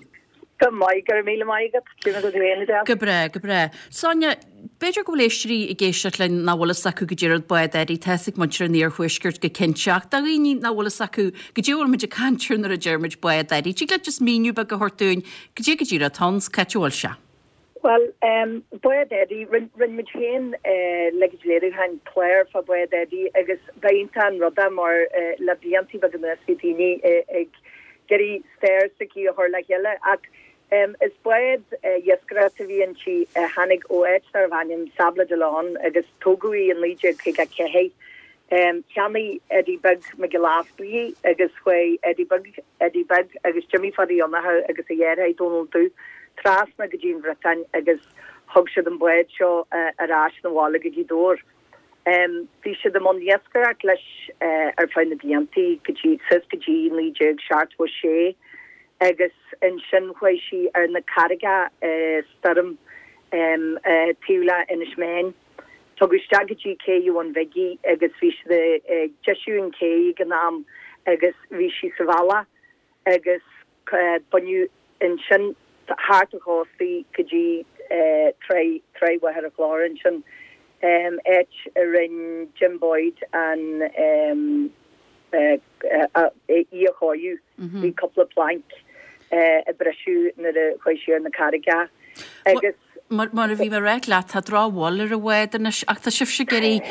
Go maith, go raibh míle maith agat. Cé mar atá tú féin, Edel? Go breá, go breá. Sonia, b'fhéidir go bhfuil éisteoirí ag éisteacht linn nach bhfuil fhios acu goidé rud Bád Eddie, tá fhios ag muintir an iarthuaiscirt go cinnte, ach do dhaoine nach bhfuil fhios acu goidé a bhfuil muid ag caint air nuair a deir muid Bád Eddie, tig leat just míniú beag a thabhairt dúinn goidé go díreach atá ann, cá háit a bhfuil sé? Bhuel, Bád Eddie, rinn muid féin leithéid léiriúcháin clár fá Bád Eddie agus ba iontach an rud é mar le bliantaí beaga anuas bhí daoine ag iarraidh stair s'aici a chur le chéile ach is bád iascaireachta a bhí inti a tháinig ó áit darbh ainm Sables d'Olonne agus tógadh í i 1954. Cheannaigh Eddie Beag Mac Giolla Easpaig í agus chuaigh Eddie Beag, Eddie Beag agus Jimmy Pháidí Fhionnacha agus a dheartháir Dónal Dubh trasna go dtí an Bhriotáin agus thug siad an bád seo ar ais 'na bhaile go Gaoth Dobhair. Bhí siad i mbun iascaireacht leis ar feadh na bliantaí go dtí, suas go dtí 1976 agus ansin chuaigh sí ar na carraigeacha i stoirm taobh le Inis Meáin. Tugadh isteach go dtí cé Bhun Bhig í agus bhí siad ag deisiú an ché ag an am agus bhí sí sa bhealach agus baineadh ansin thart an chósta í go dtí Tráigh Tráigh Mhachaire Chlochair ansin, áit a rinn Jim Boyd an í a chóiriú. Bhí cúpla planc a briseadh nuair a chuaigh sí ar na carraigeacha agus. Mar a bhí mé ag ráit leat, tá drochbhail ar an bhád anois ach tá sibhse ag iarraidh,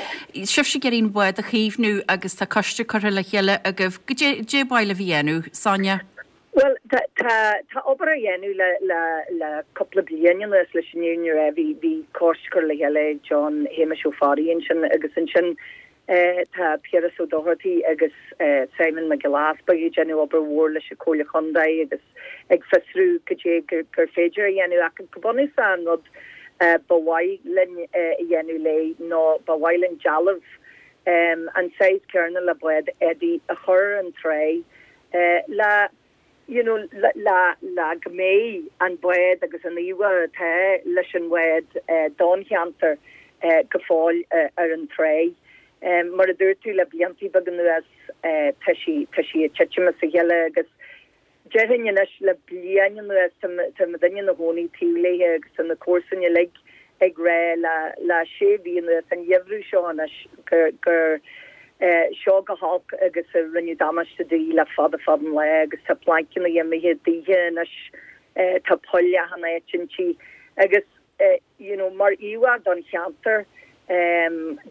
sibhse ag iarraidh an bád a chaomhnú agus tá coiste curtha le chéile agaibh. Goidé ba mhaith libh a dhéanamh, Sonia? Bhuel, tá, tá, tá obair á dhéanamh le, le, le cúpla bliain anuas leis an fhírinne a rá. Bhí, bhí coiste curtha le chéile ag John Shéamais Ó Fearraigh ansin agus ansin Tá Piaras Ó Dochartaigh agus Simon Mac Giolla Easpaig ag déanamh obair mhór leis an Chomhairle Chontae agus ag fiosrú goidé gur féidir a dhéanamh ach go bunúsach an rud ba mhaith linn a dhéanamh léi ná ba mhaith linn dealbh an saghas céarna le bád Eddie a chur ar an tráigh le you know le le go mbeidh an bád agus an íomhá atá leis an bhád don cheantar go fóill ar an tráigh. Mar a dúirt tú le bliantaí beaga anuas tá sí tá sí ag titim as a chéile agus déarfainn anois le bliain anuas tá tá muidinne ina chónaí taobh léi agus tá na comharsain uilig ag rá le le sé mhí anuas, an gheimhreadh seo anois, gur gur seo go holc agus a rinneadh damáiste di le fada fada an lá agus tá plainceanna imithe daoithe anois, tá poill achan áit inti agus you know mar íomhá don cheantar,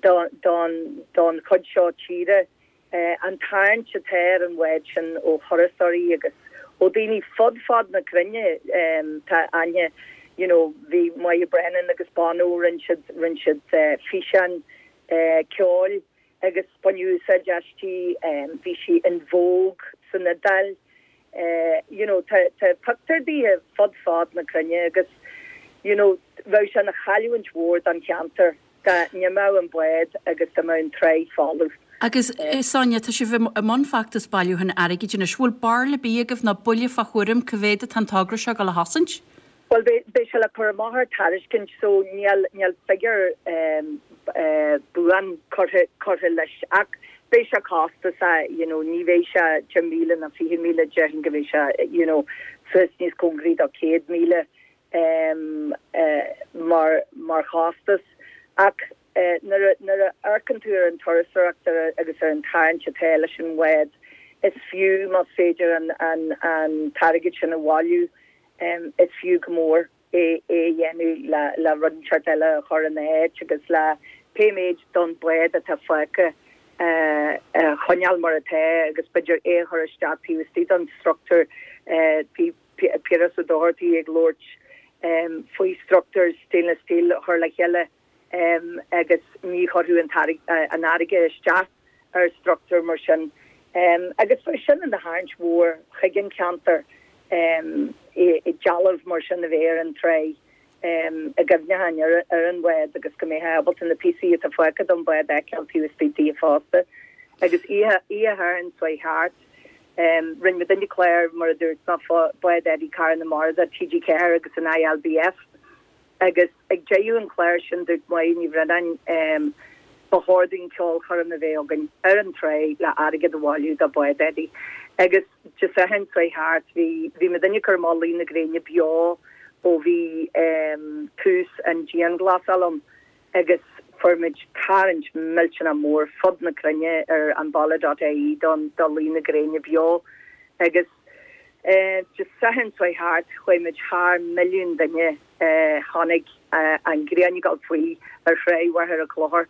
don don don chuid seo tíre. An tarraingt atá ar an bhád sin ó thurasóirí agus ó daoine fud fad na cruinne, tá aithne, you know, bhí Moya Brennan agus Bono, rinne siad, rinne siad físeáin ceoil agus baineadh úsáid aisti, bhí sí in Vogue san Iodáil, you know, tá, tá pictiúir daoithe fud fad na cruinne agus, you know, bheadh sé ina chailliúint mhór don cheantar. Dá n-imeodh an bád agus dá mbeadh an tráigh folamh. Agus, Sonia, tá sibh i mbun feachtas bailiúcháin airgid anois. Bhfuil barúil ar bith agaibh nó buille fá thuairim cá mhéad atá an togra seo ag dul a chosaint? Bhuel, beidh sé le cur amach ar tairiscint so níl, níl figiúr buan curtha, curtha leis ach beidh sé costasach, you know, ní bheidh sé 10,000 ná 20,000, déarfainn go mbeidh sé, you know, suas níos cóngaraí do 100,000. mar mar chostas ach nuair a nuair a amharcann tú ar an turasóireacht agus ar an tarraingt atá leis an bhád is fiú más féidir an an an t-airgead sin a bhailiú is fiú go mór é é a dhéanamh le le rud inteacht eile a chur ina áit agus le pé méid don bhád atá fágtha a choinneáil mar atá agus b'fhéidir é a chur isteach taobh istigh don struchtúr bhí Piaras Ó Dochartaigh ag labhairt faoi struchtúr stainless steel a chur le chéile. Agus ní chuirfeadh an fharraige isteach ar struchtúr mar sin. Agus bheadh sin ina tharraingt mhór chuig an cheantar, dealbh mar sin a bheith ar an tráigh i gcuimhneachán ar an bhád agus go mbeifeá ábalta na píosaí atá fágtha don bhád a fheiceáil taobh istigh di fosta. Agus oíche Shathairn seo thart, rinne muidinne clár, mar a dúirt mé, fá Bád Eddie Cara na Mara do TG4 agus an ILBF. Agus ag deireadh an chláir sin dúirt Máire Ní Bhraonáin, ba chóir dúinn ceolchoirm a bheith againn ar an tráigh le airgead a bhailiú do Bád Eddie. Agus Dé Sathairn seo thart bhí bhí muidinne ag cur amach Luí na Gréine beo ó bhí tús an dianghlasáil ann agus fuair muid tarraingt millteanach mór fud na cruinne ar an baile dot ie don do Luí na Gréine beo agus Dé Sathairn seo thart chuaigh muid thar milliún duine a chonaic an ghrian ag dul faoi ar Thráigh Mhachaire Chlochair.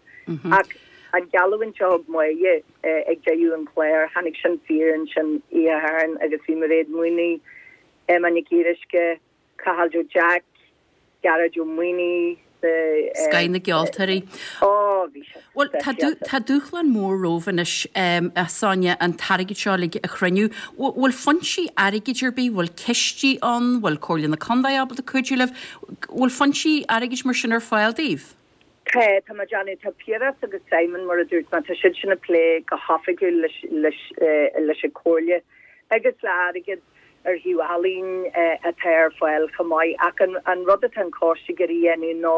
Ach an gheallúint a thug Máire ag deireadh an chláir, tháinig sin fíor ansin oíche Shathairn agus bhí Mairéad Mooney, Emma Nic Fhíoruisce, Cathal Joe Jack, Gearóid Ó Maonaigh, the. Scoth na gceoltóirí. Ó, bhí sé Bhuel, tá speisialta. tá dúshlán mór romhaibh anois, a Sonia, an t-airgead seo uilig a chruinniú. Bhfuil foinsí airgid ar bith, bhfuil cistí ann, bhfuil Comhairle na Contae ábalta cuidiú libh? Bhfuil foinsí airgid mar sin ar fáil daoibh? Tá, tá mé ag déanamh, tá Piaras agus Simon, mar a dúirt mé, tá siad sin ag plé go hoifigiúil leis, leis, leis an Chomhairle agus le airgead ar thaobh ealaín atá ar fáil chomh maith. Ach an rud atá an coiste ag iarraidh a dhéanamh ná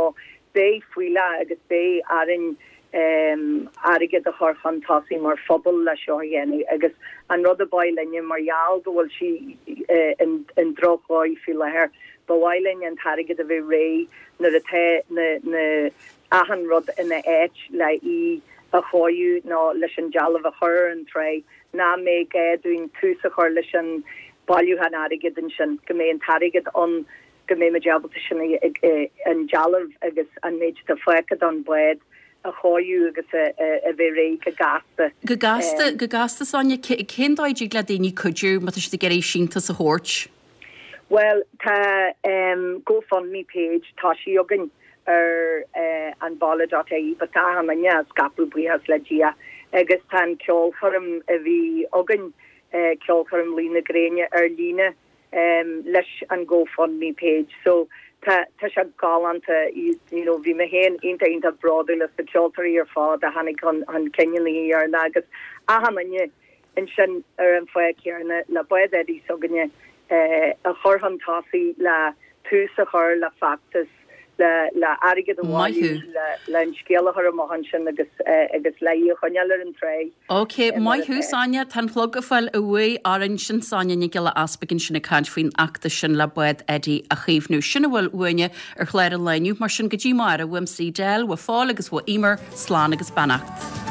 beidh fuílleach agus beidh orainn airgead a chur chun tosaigh mar phobal le seo a dhéanamh agus an rud ab mhaith linne mar gheall go bhfuil sí i ndrochdhóigh faoi láthair, ba mhaith linn an t-airgead a bheith réidh nuair atá na na achan rud ina áit le í a chóiriú nó leis an dealbh a chur ar an tráigh. nach mbeidh gá dúinn tús a chur leis an bailiúchán airgid ansin, go mbeidh an t-airgead ann, go mbeidh muid ábalta sin an dealbh agus an méid atá fágtha don bhád a chóiriú agus a bheith réidh go gasta. Go gasta, go gasta Sonia, cén dóigh a dtig le daoine cuidiú má tá siad ag iarraidh síntiús a thabhairt? Bhuel, tá GoFundMe page tosaithe againn ar an baile dot ie but tá achan duine á scaipeadh buíochas le Dia agus tá an ceolchoirm a bhí againn, ceolchoirm Luí na Gréine ar líne leis an GoFundMe page so tá tá sé galánta you know bhí mé féin iontach iontach bródúil as na ceoltóirí ar fad a tháinig chun chun cinn an oíche dheireanach agus achan duine ansin ar an fáth céanna le Bád Eddie s'againne a chur chun tosaigh le tús a chur le feachtas le le airgead a bhailiú le an scéal a chur amach ansin agus agus le í a choinneáil ar an tráigh. Ok, maith thú Sonia, tá an clog ag fáil uaidh orainn, sin Sonia Nic Giolla Easpaig ansin ag caint faoin fheachtas sin le Bád Eddie a chaomhnú. Sin a bhfuil uainne ar chlár an lae inniu, mar sin go dtí amárach, uaimse Edel, uaidh Phóil agus uaidh Emer, slán agus beannacht.